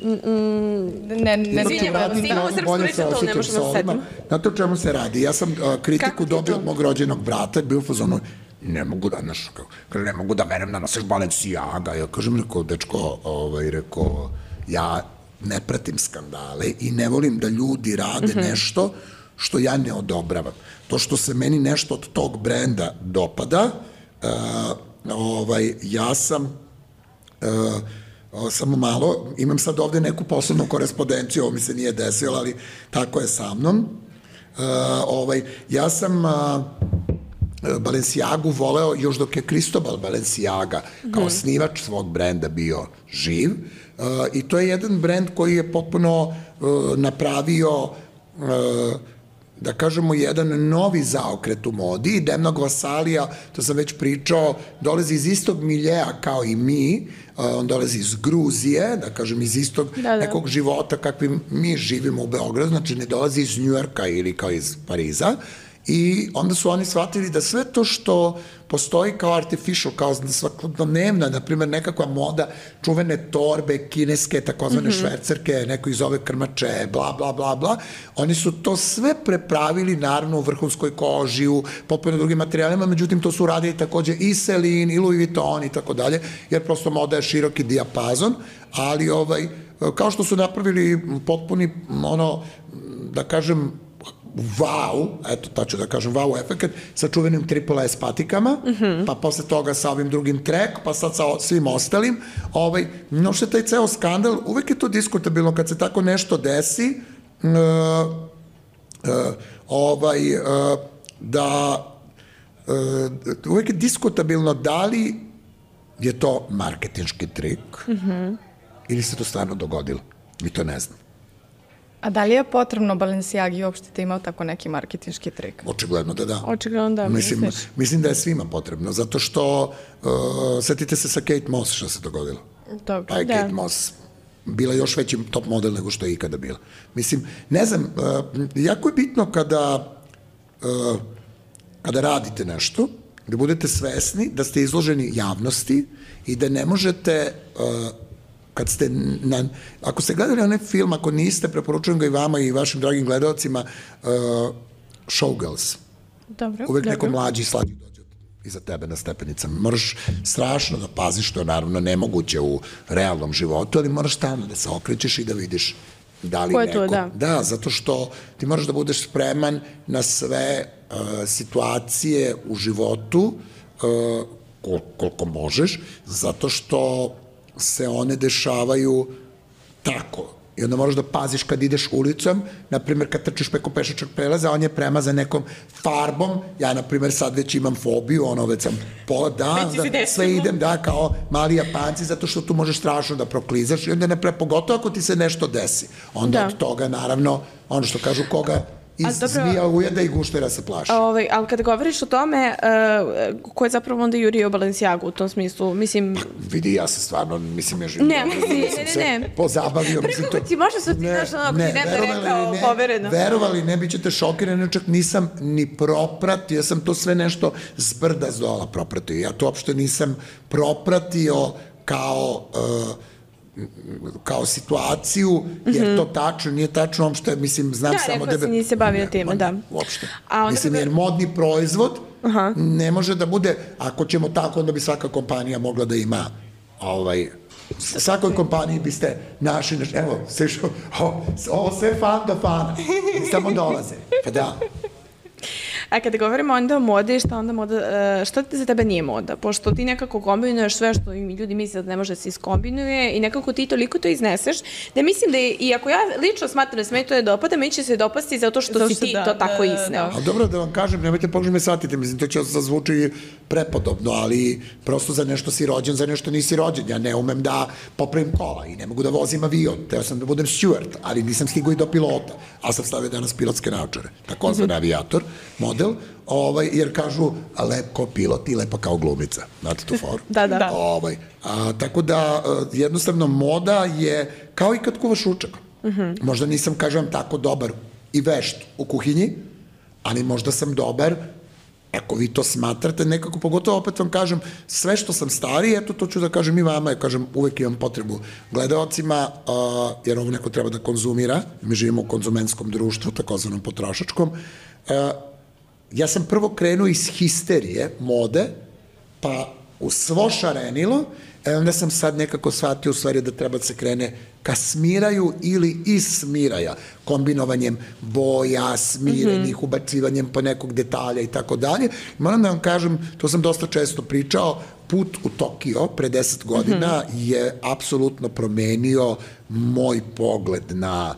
Speaker 2: Ne, ne,
Speaker 1: Izvinjavam
Speaker 2: ne,
Speaker 1: se, imamo srpsku reč, to ne možemo da setimo.
Speaker 3: Znate o čemu se radi? Ja sam uh, kritiku
Speaker 1: Kako ti
Speaker 3: dobio
Speaker 1: to?
Speaker 3: od mog rođenog brata, bio u fazonu, ne mogu da, znaš, kaže, ne mogu da verujem da nosiš Balenciaga. Ja kažem, rekao, dečko, ovaj, rekao, ja ne pratim skandale i ne volim da ljudi rade mm-hmm. nešto što ja ne odobravam. To što se meni nešto od tog brenda dopada, uh, ovaj, ja sam... Uh, O, samo malo, imam sad ovde neku posebnu korespondenciju, ovo mi se nije desilo, ali tako je sa mnom. Uh, ovaj, ja sam uh, Balenciagu voleo još dok je Cristobal Balenciaga kao mm. osnivač svog brenda bio živ uh, i to je jedan brend koji je potpuno uh, napravio uh, da kažemo, jedan novi zaokret u modi. Demnog Vasalija, to sam već pričao, dolazi iz istog miljeja kao i mi, on dolazi iz Gruzije, da kažem, iz istog da, da. nekog života kakvim mi živimo u Beogradu, znači ne dolazi iz Njujorka ili kao iz Pariza, i onda su oni shvatili da sve to što postoji kao artificial, kao svakodnevna, na primjer nekakva moda, čuvene torbe, kineske, takozvane mm-hmm. švercerke, neko iz ove krmače, bla, bla, bla, bla, oni su to sve prepravili, naravno, u vrhunskoj koži, u potpuno drugim materijalima, međutim, to su radili takođe i Celine, i Louis Vuitton i tako dalje, jer prosto moda je široki dijapazon, ali ovaj, kao što su napravili potpuni, ono, da kažem, wow, eto, tačno da kažem, wow efekt sa čuvenim triple S patikama, mm-hmm. pa posle toga sa ovim drugim track, pa sad sa svim ostalim. Ovaj, no što je taj ceo skandal, uvek je to diskutabilno kad se tako nešto desi, uh, uh, ovaj, uh, da uh, uvek je diskutabilno da li je to marketinški trik mm-hmm. ili se to stvarno dogodilo. Mi to ne znam.
Speaker 2: A da li je potrebno Balenciagi uopšte da imao tako neki marketinški trik?
Speaker 3: Očigledno da da.
Speaker 1: Očigledno da.
Speaker 3: Mislim, mislim da je svima potrebno, zato što uh, setite se sa Kate Moss što se dogodilo.
Speaker 2: Dobro.
Speaker 3: Pa je
Speaker 1: da.
Speaker 3: Kate Moss bila još veći top model nego što je ikada bila. Mislim, ne znam, uh, jako je bitno kada, uh, kada radite nešto, da budete svesni da ste izloženi javnosti i da ne možete... Uh, kad ste na, ako ste gledali onaj film, ako niste, preporučujem ga i vama i vašim dragim gledalcima, uh, Showgirls.
Speaker 2: Dobro.
Speaker 3: Uvek
Speaker 2: dobro.
Speaker 3: neko mlađi i slađi dođe iza tebe na stepenicama. Moraš strašno da paziš, što je naravno nemoguće u realnom životu, ali moraš stalno da se okrećeš i da vidiš da li
Speaker 1: ko je
Speaker 3: neko...
Speaker 1: To, da.
Speaker 3: da, zato što ti moraš da budeš spreman na sve uh, situacije u životu uh, kol, koliko možeš, zato što se one dešavaju tako. I onda moraš da paziš kad ideš ulicom, na primjer kad trčiš preko pešačkog prelaza, on je premazan nekom farbom, ja na primjer sad već imam fobiju, ono već sam pola dan, da sve idem, da, kao mali Japanci, zato što tu možeš strašno da proklizaš i onda ne pre, pogotovo ako ti se nešto desi. Onda da. Od toga, naravno, ono što kažu koga iz zmija ujeda i guštera se plaši.
Speaker 1: Ovaj, ali kada govoriš o tome, uh, ko je zapravo onda jurio Balenciagu u tom smislu? Mislim...
Speaker 3: Pa, vidi, ja se stvarno, mislim, ja živim.
Speaker 1: Ne, mislim, ne, ne, ne.
Speaker 3: Pozabavio.
Speaker 1: Preko to... ti možda su ti znaš ono, ako ti ne da rekao ne, povereno.
Speaker 3: Verovali, ne, bit ćete šokirani, čak nisam ni propratio, ja sam to sve nešto zbrda zdola propratio. Ja to uopšte nisam propratio kao... Uh, kao situaciju, jer to tačno, nije tačno, uopšte, mislim, znam
Speaker 1: da,
Speaker 3: samo
Speaker 1: tebe... Da, rekao si, nisi bavio time, da.
Speaker 3: Uopšte. Mislim, jer modni proizvod
Speaker 1: Aha.
Speaker 3: ne može da bude, ako ćemo tako, onda bi svaka kompanija mogla da ima, ovaj, svakoj kompaniji biste našli, evo, sve što, ovo sve fan do fana, samo dolaze, pa da.
Speaker 1: A kada govorimo onda o modi, šta onda moda, šta za tebe nije moda? Pošto ti nekako kombinuješ sve što ljudi misle da ne može da se iskombinuje i nekako ti toliko to izneseš, da mislim da je, i ako ja lično smatram da se meni to ne dopada, meni će se dopasti zato što zato si ti da, to tako da, izneo.
Speaker 3: A dobro da vam kažem, nemojte pogrešno me shvatite, mislim, to će zazvuči prepodobno, ali prosto za nešto si rođen, za nešto nisi rođen. Ja ne umem da popravim kola i ne mogu da vozim avion, teo sam da budem steward, ali nisam stigao i do pilota, a sam stavio danas pilotske naočare. Tako zvan avijator, model, ovaj, jer kažu lep kao pilot i lepa kao glumica. Znate tu foru?
Speaker 1: Da, da.
Speaker 3: Ovaj, a, tako da, jednostavno, moda je kao i kad kuvaš ručak. Uh -huh. Možda nisam, kažem, tako dobar i vešt u kuhinji, ali možda sam dobar, ako vi to smatrate, nekako, pogotovo opet vam kažem, sve što sam stariji, eto to ću da kažem i vama, ja kažem, uvek imam potrebu gledalcima, uh, jer ovo neko treba da konzumira, mi živimo u konzumenskom društvu, takozvanom potrošačkom. Uh, ja sam prvo krenuo iz histerije, mode, pa u svo šarenilo, e onda sam sad nekako shvatio u stvari da treba da se krene ka smiraju ili iz smiraja, kombinovanjem boja, smirenih, ubacivanjem po nekog detalja i tako dalje. Moram da vam kažem, to sam dosta često pričao, put u Tokio pre deset godina je apsolutno promenio moj pogled na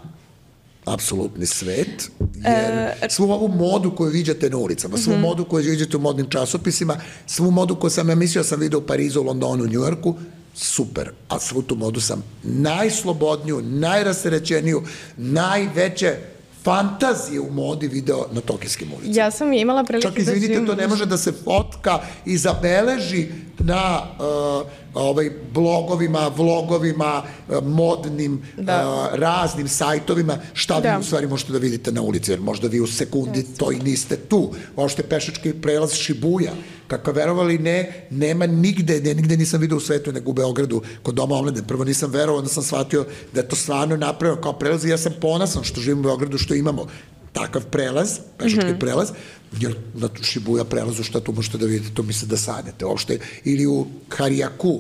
Speaker 3: apsolutni svet, jer svu ovu modu koju viđate na ulicama, svu modu koju viđate u modnim časopisima, svu modu koju sam ja mislio sam vidio u Parizu, Londonu, Njujorku, super, a svu tu modu sam najslobodniju, najrasterećeniju, najveće fantazije u modi video na tokijskim ulicama.
Speaker 2: Ja sam imala prilike da živim...
Speaker 3: Čak, izvinite, to ne može da se fotka i zabeleži na uh, ovaj, blogovima, vlogovima, uh, modnim, uh, raznim sajtovima, šta vi u stvari možete da vidite na ulici, jer možda vi u sekundi to i niste tu. Ošte pešački prelaz Šibuja, kako verovali ne, nema nigde, ne, nigde nisam vidio u svetu, nego u Beogradu, kod Doma omladine. Prvo nisam verovao, onda sam shvatio da je to stvarno napravio kao prelaz i ja sam ponosan što živim u Beogradu, što imamo takav prelaz, pešački prelaz, jer na Šibuja prelazu šta tu možete da vidite, to misle da sanjate uopšte, ili u Harijaku,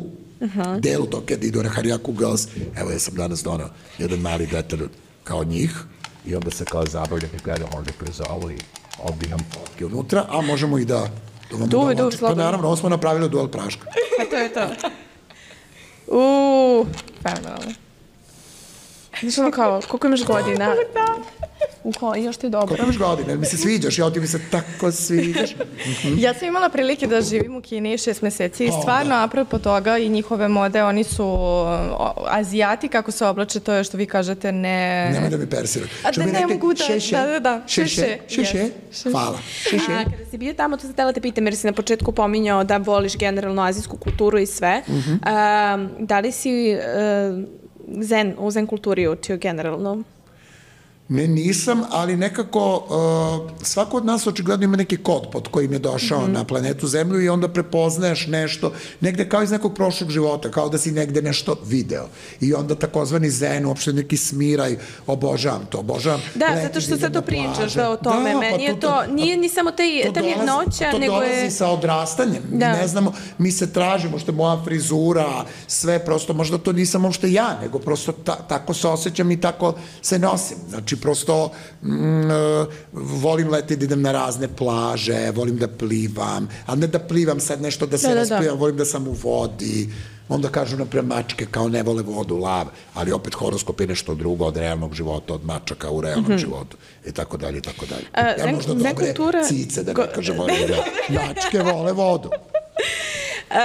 Speaker 3: delu to kada idu na Harijaku Girls, evo ja sam danas donao jedan mali detalj kao njih i onda se kao zabavljam i gledam ovdje kroz ovo i ovdje imam fotke unutra, a možemo i da
Speaker 1: duvi, duvi, slobodno.
Speaker 3: Pa naravno, ovo smo napravili dual praška.
Speaker 1: Pa to je to. Uuu, fenomenalno. Znaš ono kao, koliko imaš godina? Da. Uho, još ti je dobro.
Speaker 3: Koliko imaš godina? Mi se sviđaš, ja ti mi se tako sviđaš.
Speaker 2: Ja sam imala prilike da živim u Kini šest meseci i stvarno, apropo toga i njihove mode, oni su Azijati, kako se oblače, to je što vi kažete, ne...
Speaker 3: Nemoj da mi persirati.
Speaker 2: A da ne mogu da... Da, da, da.
Speaker 3: Šeše. Šeše. Hvala. Šeše.
Speaker 1: A kada si bio tamo, to sam htjela te pitam, jer si na početku pominjao da voliš generalno azijsku kulturu i sve. Da li si zen, u zen kulturi učio generalno?
Speaker 3: Ne, nisam, ali nekako uh, svako od nas očigledno ima neki kod pod kojim je došao mm-hmm. na planetu Zemlju i onda prepoznaješ nešto, negde kao iz nekog prošlog života, kao da si negde nešto video. I onda takozvani zen, uopšte neki smiraj, obožavam to, obožavam.
Speaker 1: Da, zato što sad to pričaš da, o tome, da, meni pa je to, to, nije ni samo taj, ta vjednoća, nego je...
Speaker 3: To dolazi sa odrastanjem, da. Mi ne znamo, mi se tražimo, što je moja frizura, sve prosto, možda to nisam uopšte ja, nego prosto ta, tako se osjećam i tako se nosim. Znači, Znači, prosto mm, volim leti da idem na razne plaže, volim da plivam, ali ne da plivam sad nešto da se
Speaker 1: Da, da,
Speaker 3: rasplivam,
Speaker 1: da.
Speaker 3: volim da sam u vodi. Onda kažu napred mačke kao ne vole vodu, lav, ali opet horoskop je nešto drugo od realnog života, od mačaka u realnom
Speaker 1: Mhm.
Speaker 3: životu i tako dalje, i tako dalje.
Speaker 1: A,
Speaker 3: Ja
Speaker 1: zen-
Speaker 3: možda
Speaker 1: zen
Speaker 3: dobre
Speaker 1: kultura-
Speaker 3: cice, da
Speaker 1: Go-
Speaker 3: ne kažem, volim da mačke vole vodu.
Speaker 1: Uh,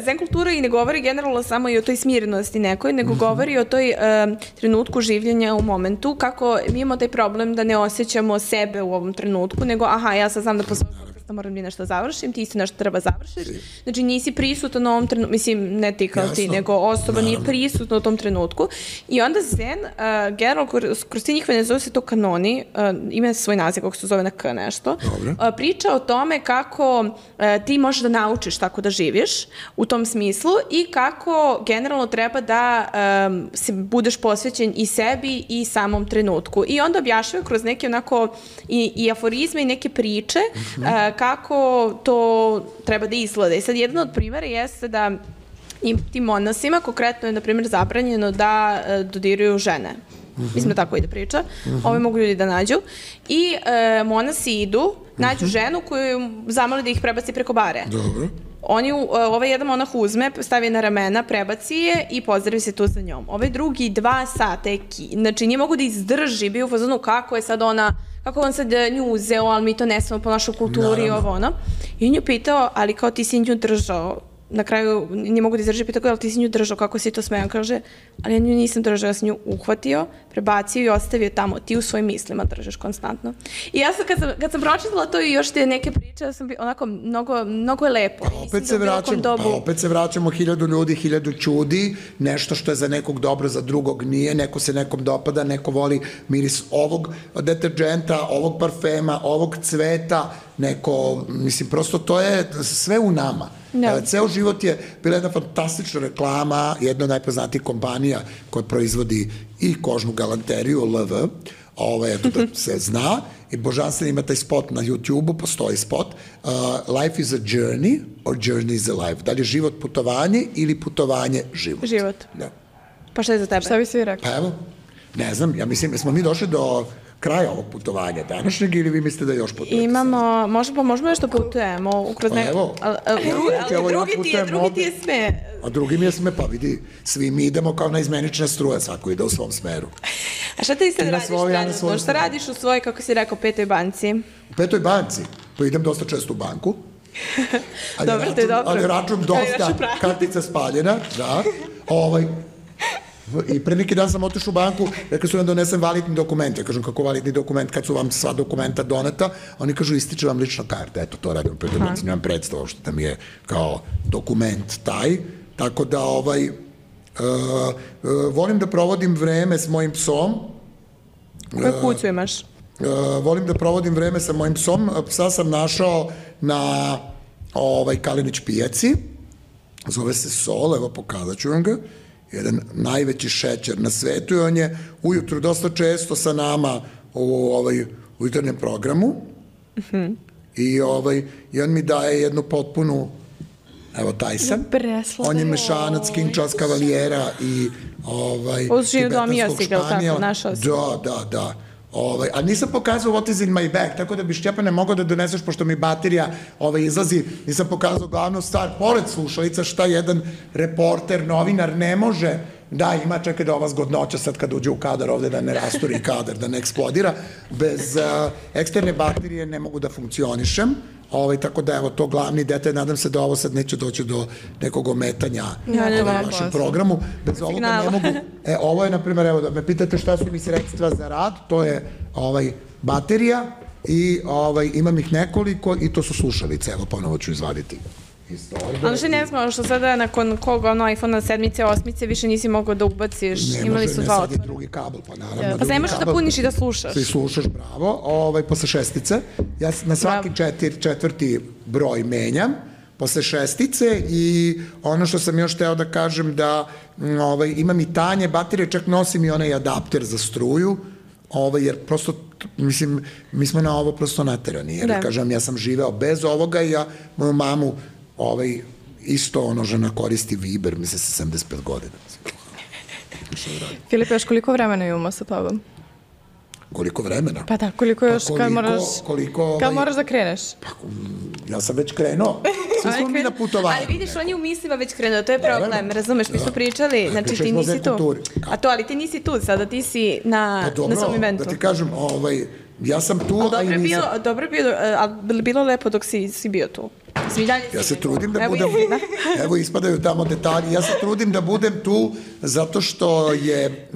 Speaker 1: zen kultura i ne govori generalno samo i o toj smirenosti nekoj, nego
Speaker 3: Mhm.
Speaker 1: govori o toj um, trenutku življenja u momentu, kako mi imamo taj problem da ne osjećamo sebe u ovom trenutku, nego aha, ja sad znam da posle ovog podcasta moram da nešto završim, ti isto nešto treba završiš. Znači nisi prisutan u ovom trenutku, mislim ne ti kao ti,
Speaker 3: Jasno.
Speaker 1: nego osoba nije
Speaker 3: Naravno.
Speaker 1: prisutna u tom trenutku. I onda zen, uh, generalno kroz, kroz ti njihove, ne zove se to kanoni, uh, ima svoj naziv kako se zove na K nešto,
Speaker 3: Dobro.
Speaker 1: uh, priča o tome kako uh, ti možeš da naučiš tako da živiš u tom smislu i kako generalno treba da um, se budeš posvećen i sebi i samom trenutku. I onda objašnjava kroz neke onako i, i aforizme i neke priče uh, kako to treba da izgleda. I sad jedan od primjera jeste da i tim monasima konkretno je, na primjer, zabranjeno da uh, dodiruju žene. Mislim da tako ide priča. Ove mogu ljudi da nađu. I e, monasi idu, nađu ženu koju zamoli da ih prebaci preko bare.
Speaker 3: Dobro.
Speaker 1: Oni, u- ovaj jedan monah uzme, stavi je na ramena, prebaci je i pozdravi se tu za njom. Ovaj drugi dva sata je ki, znači nije mogu da izdrži, bio u fazonu kako je sad ona, kako on sad nju uzeo, ali mi to ne smemo po našoj kulturi i ovo ono. I on ju pitao, ali kao ti si nju držao, na kraju nije mogu da izdrži, pitao kao, ali ti si nju držao, kako si to smeo? On kaže, ali ja nju nisam držao, ja sam nju uhvatio, prebacio i ostavio tamo, ti u svojim mislima držiš konstantno. I ja sam, kad sam, kad sam pročitala to i još te neke priče, ja sam bi, onako, mnogo, mnogo je lepo.
Speaker 3: Pa
Speaker 1: Mislim
Speaker 3: opet
Speaker 1: da
Speaker 3: se
Speaker 1: u bilo kom
Speaker 3: vraćamo,
Speaker 1: dobu-
Speaker 3: pa opet se vraćamo hiljadu ljudi, hiljadu čudi, nešto što je za nekog dobro, za drugog nije, neko se nekom dopada, neko voli miris ovog deterđenta, ovog parfema, ovog cveta, neko, mislim, prosto to je sve u nama.
Speaker 1: Da.
Speaker 3: E, Ceo život je bila jedna fantastična reklama, jedna od najpoznatijih kompanija koja proizvodi i kožnu galanteriju, L V, ovaj, eto da se zna, i božanstveno ima taj spot na YouTube-u, postoji spot, uh, life is a journey or journey is a life. Da li je život putovanje ili putovanje život?
Speaker 1: Život.
Speaker 3: Da.
Speaker 1: Pa šta je za tebe?
Speaker 2: Šta bi svi rekli?
Speaker 3: Pa evo, ne znam, ja mislim, smo mi došli do kraja ovog putovanja današnjeg ili vi mislite da još putujete?
Speaker 1: Imamo, možda pa možemo još da putujemo kroz
Speaker 3: Pa
Speaker 1: ne...
Speaker 3: evo.
Speaker 1: Ali, ali,
Speaker 3: Evo,
Speaker 1: ali
Speaker 3: evo, ja
Speaker 1: drugi ti je,
Speaker 3: putujem
Speaker 1: drugi ti je
Speaker 3: ovde.
Speaker 1: sme.
Speaker 3: A drugi mi je sme, pa vidi, svi mi idemo kao na izmenična struja, svako ide u svom smeru.
Speaker 1: A šta ti sad
Speaker 3: Ti na
Speaker 1: radiš
Speaker 3: svoj, ja na
Speaker 1: trenutno?
Speaker 3: svoj
Speaker 1: Šta
Speaker 3: strani.
Speaker 1: radiš u svojoj, kako si rekao, petoj banci?
Speaker 3: U petoj banci, pa idem dosta često u banku. Ali
Speaker 1: Dobro, to je
Speaker 3: račun,
Speaker 1: dobro.
Speaker 3: Ali račun
Speaker 1: Ali
Speaker 3: dosta,
Speaker 1: račun pravi.
Speaker 3: kartica spaljena, da. Ovaj, I pre neki dan sam otišao u banku, rekli su nam donesem validni dokument. Ja kažem, kako validni dokument, kad su vam sva dokumenta doneta, oni kažu, ističe vam lična karta. Eto, to radim u petoj banci, nemam predstavu što da mi je kao dokument taj. Tako da, ovaj, uh, uh, volim da provodim vreme s mojim psom.
Speaker 1: Koju kuću imaš?
Speaker 3: Uh, volim da provodim vreme sa mojim psom. Psa sam našao na ovaj, Kalinić pijaci. Zove se Sol, evo pokazat ću vam ga. Jedan najveći šećer na svetu i on je ujutru dosta često sa nama u ovaj, u jutarnjem programu. Mm-hmm. I, ovaj, I on mi daje jednu potpunu, evo taj sam.
Speaker 1: Presladak.
Speaker 3: On je mešanac King Charles Cavaliera i ovaj,
Speaker 1: Uz Žiju Domio
Speaker 3: tibetanskog
Speaker 1: si ga, tako,
Speaker 3: španijela.
Speaker 1: našao si.
Speaker 3: Da, da, da. Ovaj, a nisam pokazao what is in my bag, tako da bi Šćepane mogao da doneseš, pošto mi baterija ovaj, izlazi, nisam pokazao glavnu stvar, pored slušalica, šta jedan reporter, novinar ne može da ima, čekaj da ova zgodnoća sad kad uđe u kadar ovde da ne rasturi kadar, da ne eksplodira, bez uh, eksterne baterije ne mogu da funkcionišem. Ovaj, tako da, evo, to glavni detalj, nadam se da ovo sad neće doći do nekog ometanja
Speaker 1: Ja, ne,
Speaker 3: ovaj,
Speaker 1: ne,
Speaker 3: u vašem
Speaker 2: ne.
Speaker 3: programu. Bez ovoga ne
Speaker 1: Signala.
Speaker 3: mogu. E, ovo je, na primjer, evo, da me pitate šta su mi sredstva za rad, to je ovaj, baterija i ovaj, imam ih nekoliko i to su slušalice, evo, ponovo ću izvaditi. Isto ovde.
Speaker 1: Ali što ne znam, što sada nakon koga ono iPhone-a sedmice, osmice, više nisi mogao da ubaciš,
Speaker 3: Ne
Speaker 1: imali
Speaker 3: može,
Speaker 1: su
Speaker 3: ne,
Speaker 1: dva
Speaker 3: sad je
Speaker 1: otvora.
Speaker 3: drugi kabel, pa naravno.
Speaker 1: Pa
Speaker 3: drugi
Speaker 1: ne možeš da
Speaker 3: kabel.
Speaker 1: puniš i da slušaš.
Speaker 3: Ti slušaš, bravo, ovaj, posle šestice. Ja s- na svaki
Speaker 1: Bravo.
Speaker 3: četir, četvrti broj menjam, posle šestice i ono što sam još teo da kažem da m, ovaj, imam i tanje baterije, čak nosim i onaj adapter za struju, ovaj, jer prosto, t- mislim, mi smo na ovo prosto naterani, jer
Speaker 1: Da.
Speaker 3: kažem, ja sam živeo bez ovoga i ja moju mamu ovaj, isto ono žena koristi Viber, mislim sa sedamdeset pet godina.
Speaker 2: Filip, još koliko vremena imamo sa tobom?
Speaker 3: koliko vremena?
Speaker 1: Pa da, koliko još,
Speaker 3: pa koliko,
Speaker 1: kad moraš,
Speaker 3: koliko,
Speaker 1: kad moraš da kreneš?
Speaker 3: Pa, ja sam već krenuo. Svi smo mi na putovanju.
Speaker 1: Ali vidiš, on je u mislima već krenuo, to je problem, razumeš, mi smo pričali, znači ti nisi tu. A to, ali ti nisi tu, sada ti si na svom eventu.
Speaker 3: Da ti kažem, ovaj, ja sam tu,
Speaker 1: a i nisam. Dobro je bilo, ali bilo lepo dok si bio tu.
Speaker 3: Ja se trudim da budem, evo ispadaju tamo detalji, ja se trudim da budem tu zato što je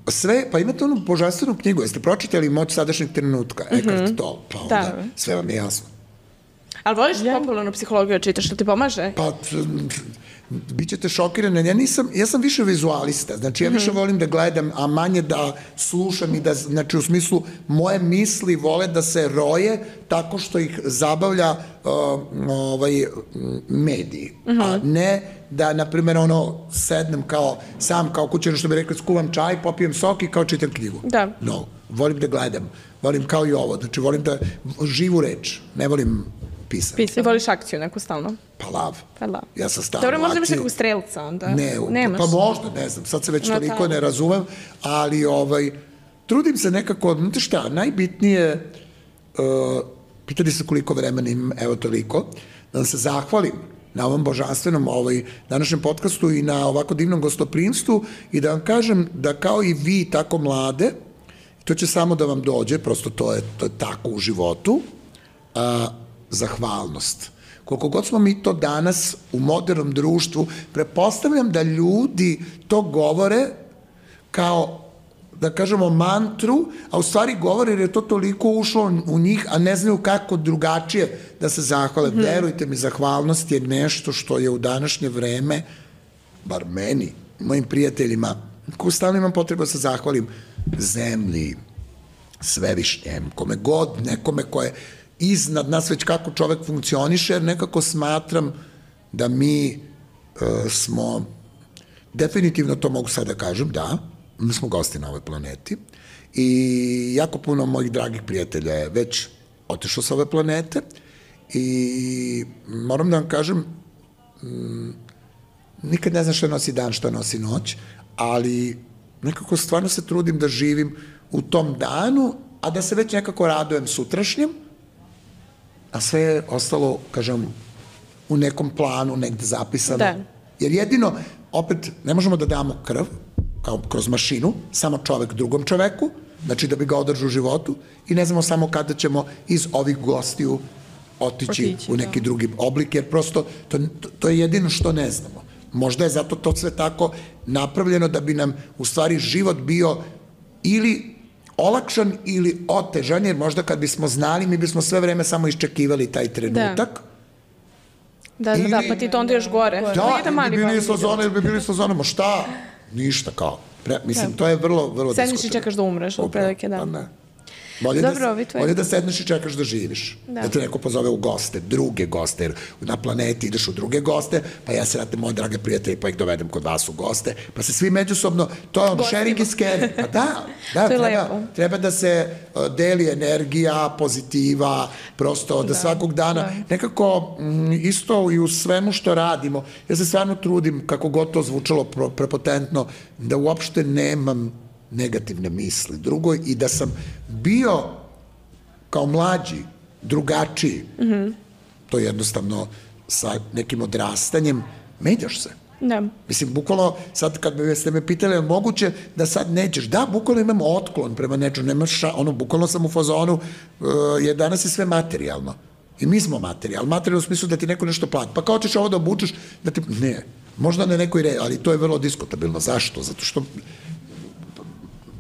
Speaker 3: sve, pa imate onu božanstvenu knjigu, jeste pročitali Moć sadašnjeg trenutka, Eckhart Tolle, pa onda sve vam je jasno.
Speaker 1: Ali voliš popularnu psihologiju, čitaš, što ti pomaže?
Speaker 3: Pa, bit ćete šokirani, ja nisam, ja sam više vizualista, znači ja više volim da gledam, a manje da slušam i da, znači u smislu, moje misli vole da se roje tako što ih zabavlja ovaj, mediji, a ne da, na primjer, ono, sednem kao, sam kao kućano, što bi rekli, skuvam čaj, popijem sok i kao čitam knjigu.
Speaker 1: Da.
Speaker 3: No, volim da gledam, volim kao i ovo, znači volim da živu reč, ne volim pisati.
Speaker 1: Pisati, voliš akciju neku stalno?
Speaker 3: Pa lav.
Speaker 1: Pa lav.
Speaker 3: Ja sam stalno u akciji.
Speaker 1: Dobro, možda imaš nekog strelca onda?
Speaker 3: Ne, pa možda, ne znam, sad se već toliko ne razumem, ali ovaj, trudim se nekako, znate šta, najbitnije, pitali se koliko vremena imam, evo toliko, da vam se zahvalim na ovom božanstvenom ovaj, današnjem podcastu i na ovako divnom gostoprimstvu i da vam kažem da kao i vi tako mlade, to će samo da vam dođe, prosto to je, to je tako u životu, a, zahvalnost. Koliko god smo mi to danas u modernom društvu, prepostavljam da ljudi to govore kao, da kažemo, mantru, a u stvari govore jer je to toliko ušlo u njih, a ne znaju kako drugačije da se zahvale. Mm-hmm. Verujte mi, zahvalnost je nešto što je u današnje vreme, bar meni, mojim prijateljima, ko stalno imam potrebu da se zahvalim zemlji, svevišnjem, kome god, nekome ko je iznad nas već kako čovek funkcioniše, jer nekako smatram da mi e, smo, definitivno to mogu sad da kažem, da, mi smo gosti na ovoj planeti i jako puno mojih dragih prijatelja je već otišlo sa ove planete i moram da vam kažem, m, nikad ne znam šta nosi dan, šta nosi noć, ali nekako stvarno se trudim da živim u tom danu, a da se već nekako radujem sutrašnjem, a sve je ostalo, kažem, u nekom planu, negde zapisano.
Speaker 1: Da.
Speaker 3: Jer jedino, opet, ne možemo da damo krv, kao kroz mašinu, samo čovek drugom čoveku, znači da bi ga održao u životu, i ne znamo samo kada ćemo iz ovih gostiju otići u neki drugi oblik, jer prosto to, to je jedino što ne znamo. Možda je zato to sve tako napravljeno da bi nam u stvari život bio ili olakšan ili otežan, jer možda kad bismo znali, mi bismo sve vreme samo iščekivali taj trenutak.
Speaker 1: Da, da, da, pa ti to onda još gore.
Speaker 3: Da, ili bi bili slazone, ili bi bili slazone, ma šta? Ništa kao. Mislim, to je vrlo, vrlo diskutabilno.
Speaker 1: Sedniš i čekaš da umreš, u prilike, da.
Speaker 3: Pa ne. Bolje, Dobro, da, bolje da sedneš i čekaš da živiš. Da. Da te neko pozove u goste, druge goste, jer na planeti ideš u druge goste, pa ja se radim moje drage prijatelje, pa ih dovedem kod vas u goste, pa se svi međusobno, to je on sharing is caring. Pa da, da treba, treba da se uh, deli energija, pozitiva, prosto da, da svakog dana, da. Nekako m, isto i u svemu što radimo, ja se stvarno trudim, kako god to zvučalo pro, prepotentno, da uopšte nemam negativne misli drugoj i da sam bio kao mlađi, drugačiji. Mm-hmm. To je jednostavno sa nekim odrastanjem menjaš se.
Speaker 1: Da.
Speaker 3: Mislim, bukvalno, sad kad ste me pitali, je moguće da sad nećeš? Da, bukvalno imam otklon prema nečemu, nemaš, ono, bukvalno sam u fazonu, uh, jer danas je sve materijalno. I mi smo materijal. Materijalno u smislu da ti neko nešto plati. Pa kao ćeš ovo da obučeš, da ti, ne, možda ne nekoj re, ali to je vrlo diskutabilno. Zašto? Zato što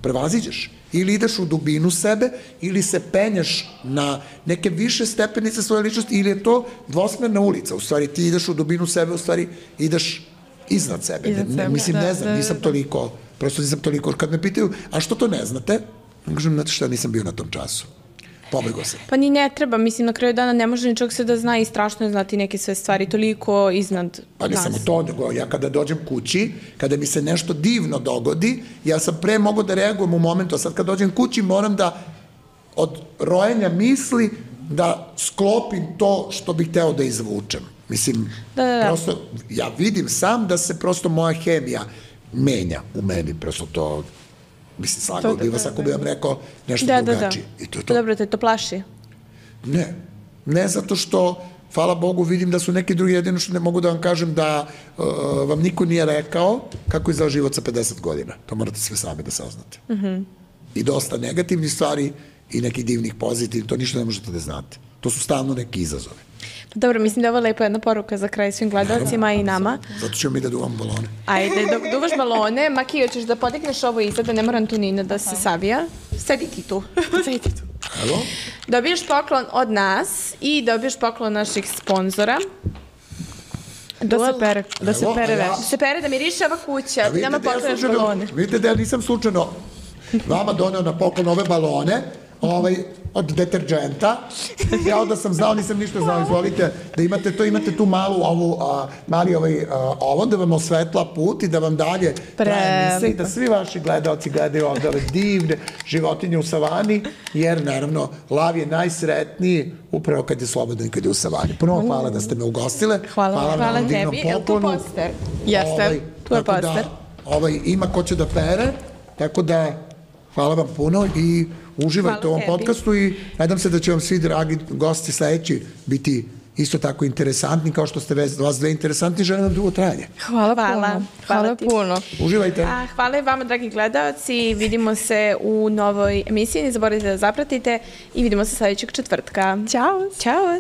Speaker 3: prevaziđeš. Ili ideš u dubinu sebe, ili se penjaš na neke više stepenice svoje ličnosti, ili je to dvosmerna ulica. U stvari, ti ideš u dubinu sebe, u stvari ideš iznad sebe. Iznad ne, sebe mislim, da, ne znam, da, nisam da. toliko, prosto nisam toliko. Kad me pitaju, a što to ne znate? Kažem, znate šta, nisam bio na tom času. Pobegao sam.
Speaker 1: Pa ni ne treba, mislim, na kraju dana ne može ničeg se da zna i strašno je znati neke sve stvari, toliko iznad
Speaker 3: Pa ne nas. Samo to, nego ja kada dođem kući, kada mi se nešto divno dogodi, ja sam pre mogu da reagujem u momentu, a sad kad dođem kući moram da od rojenja misli da sklopim to što bih hteo da izvučem. Mislim, da, da, da. prosto, ja vidim sam da se prosto moja hemija menja u meni, prosto to Mislim, slagao bi vas ako bi vam rekao nešto
Speaker 1: Da, da, da.
Speaker 3: drugačije. I to je to.
Speaker 1: Dobro, te to plaši.
Speaker 3: Ne. Ne zato što, hvala Bogu, vidim da su neki drugi, jedino što ne mogu da vam kažem da uh, vam niko nije rekao kako izgleda život sa pedeset godina. To morate sve sami da saznate. Mm-hmm. I dosta negativnih stvari i nekih divnih pozitivnih, to ništa ne možete da znate. To su stalno neki izazovi.
Speaker 1: Dobro, mislim da je ovo lepo jedna poruka za kraj svim gledalcima i nama.
Speaker 3: Zato ćemo mi da duvamo balone.
Speaker 1: Ajde, dok duvaš balone, Maki, hoćeš da podigneš ovo iza, da ne mora Antonina da se savija. Sedi ti tu. Sedi ti tu.
Speaker 3: Evo.
Speaker 1: Dobiješ poklon od nas i dobiješ poklon naših sponzora. Da se pere, da se
Speaker 3: Evo,
Speaker 1: pere
Speaker 3: a ja-
Speaker 1: već. Da se pere, da miriše ova kuća,
Speaker 3: A
Speaker 1: ti nama
Speaker 3: da ja
Speaker 1: poklonaš
Speaker 3: slučajno-
Speaker 1: balone.
Speaker 3: Vidite da ja nisam slučajno vama doneo na poklon ove balone, ovaj, od deterđenta. Ja onda sam znao, nisam ništa znao, izvolite, da imate to, imate tu malu ovu, a, mali ovaj, a, ovo, da vam osvetla put i da vam dalje traje emisija i da svi vaši gledalci gledaju ovde ove divne životinje u savani, jer naravno, lav je najsretniji upravo kad je slobodan i kad je u savani. Puno hvala da ste me ugostile.
Speaker 1: Hvala,
Speaker 3: na
Speaker 1: hvala
Speaker 3: ovom divnom
Speaker 1: tebi. Jel tu
Speaker 3: poklonu.
Speaker 1: poster? Jeste, tu je
Speaker 3: tako
Speaker 1: poster.
Speaker 3: Da, ovaj, ima ko će da pere, tako da hvala vam puno i uživajte
Speaker 1: Hvala
Speaker 3: u ovom
Speaker 1: tebi.
Speaker 3: podcastu i nadam se da će vam svi dragi gosti sledeći biti isto tako interesantni kao što ste vez- vas dve interesantni, želim vam dugo trajanje.
Speaker 2: Hvala,
Speaker 1: Hvala.
Speaker 2: puno.
Speaker 1: Hvala
Speaker 2: Hvala
Speaker 1: ti.
Speaker 2: puno.
Speaker 3: Uživajte.
Speaker 1: A, hvala i vama, dragi gledalci. Vidimo se u novoj emisiji. Ne zaboravite da zapratite i vidimo se sledećeg četvrtka.
Speaker 2: Ćao.
Speaker 1: Ćao!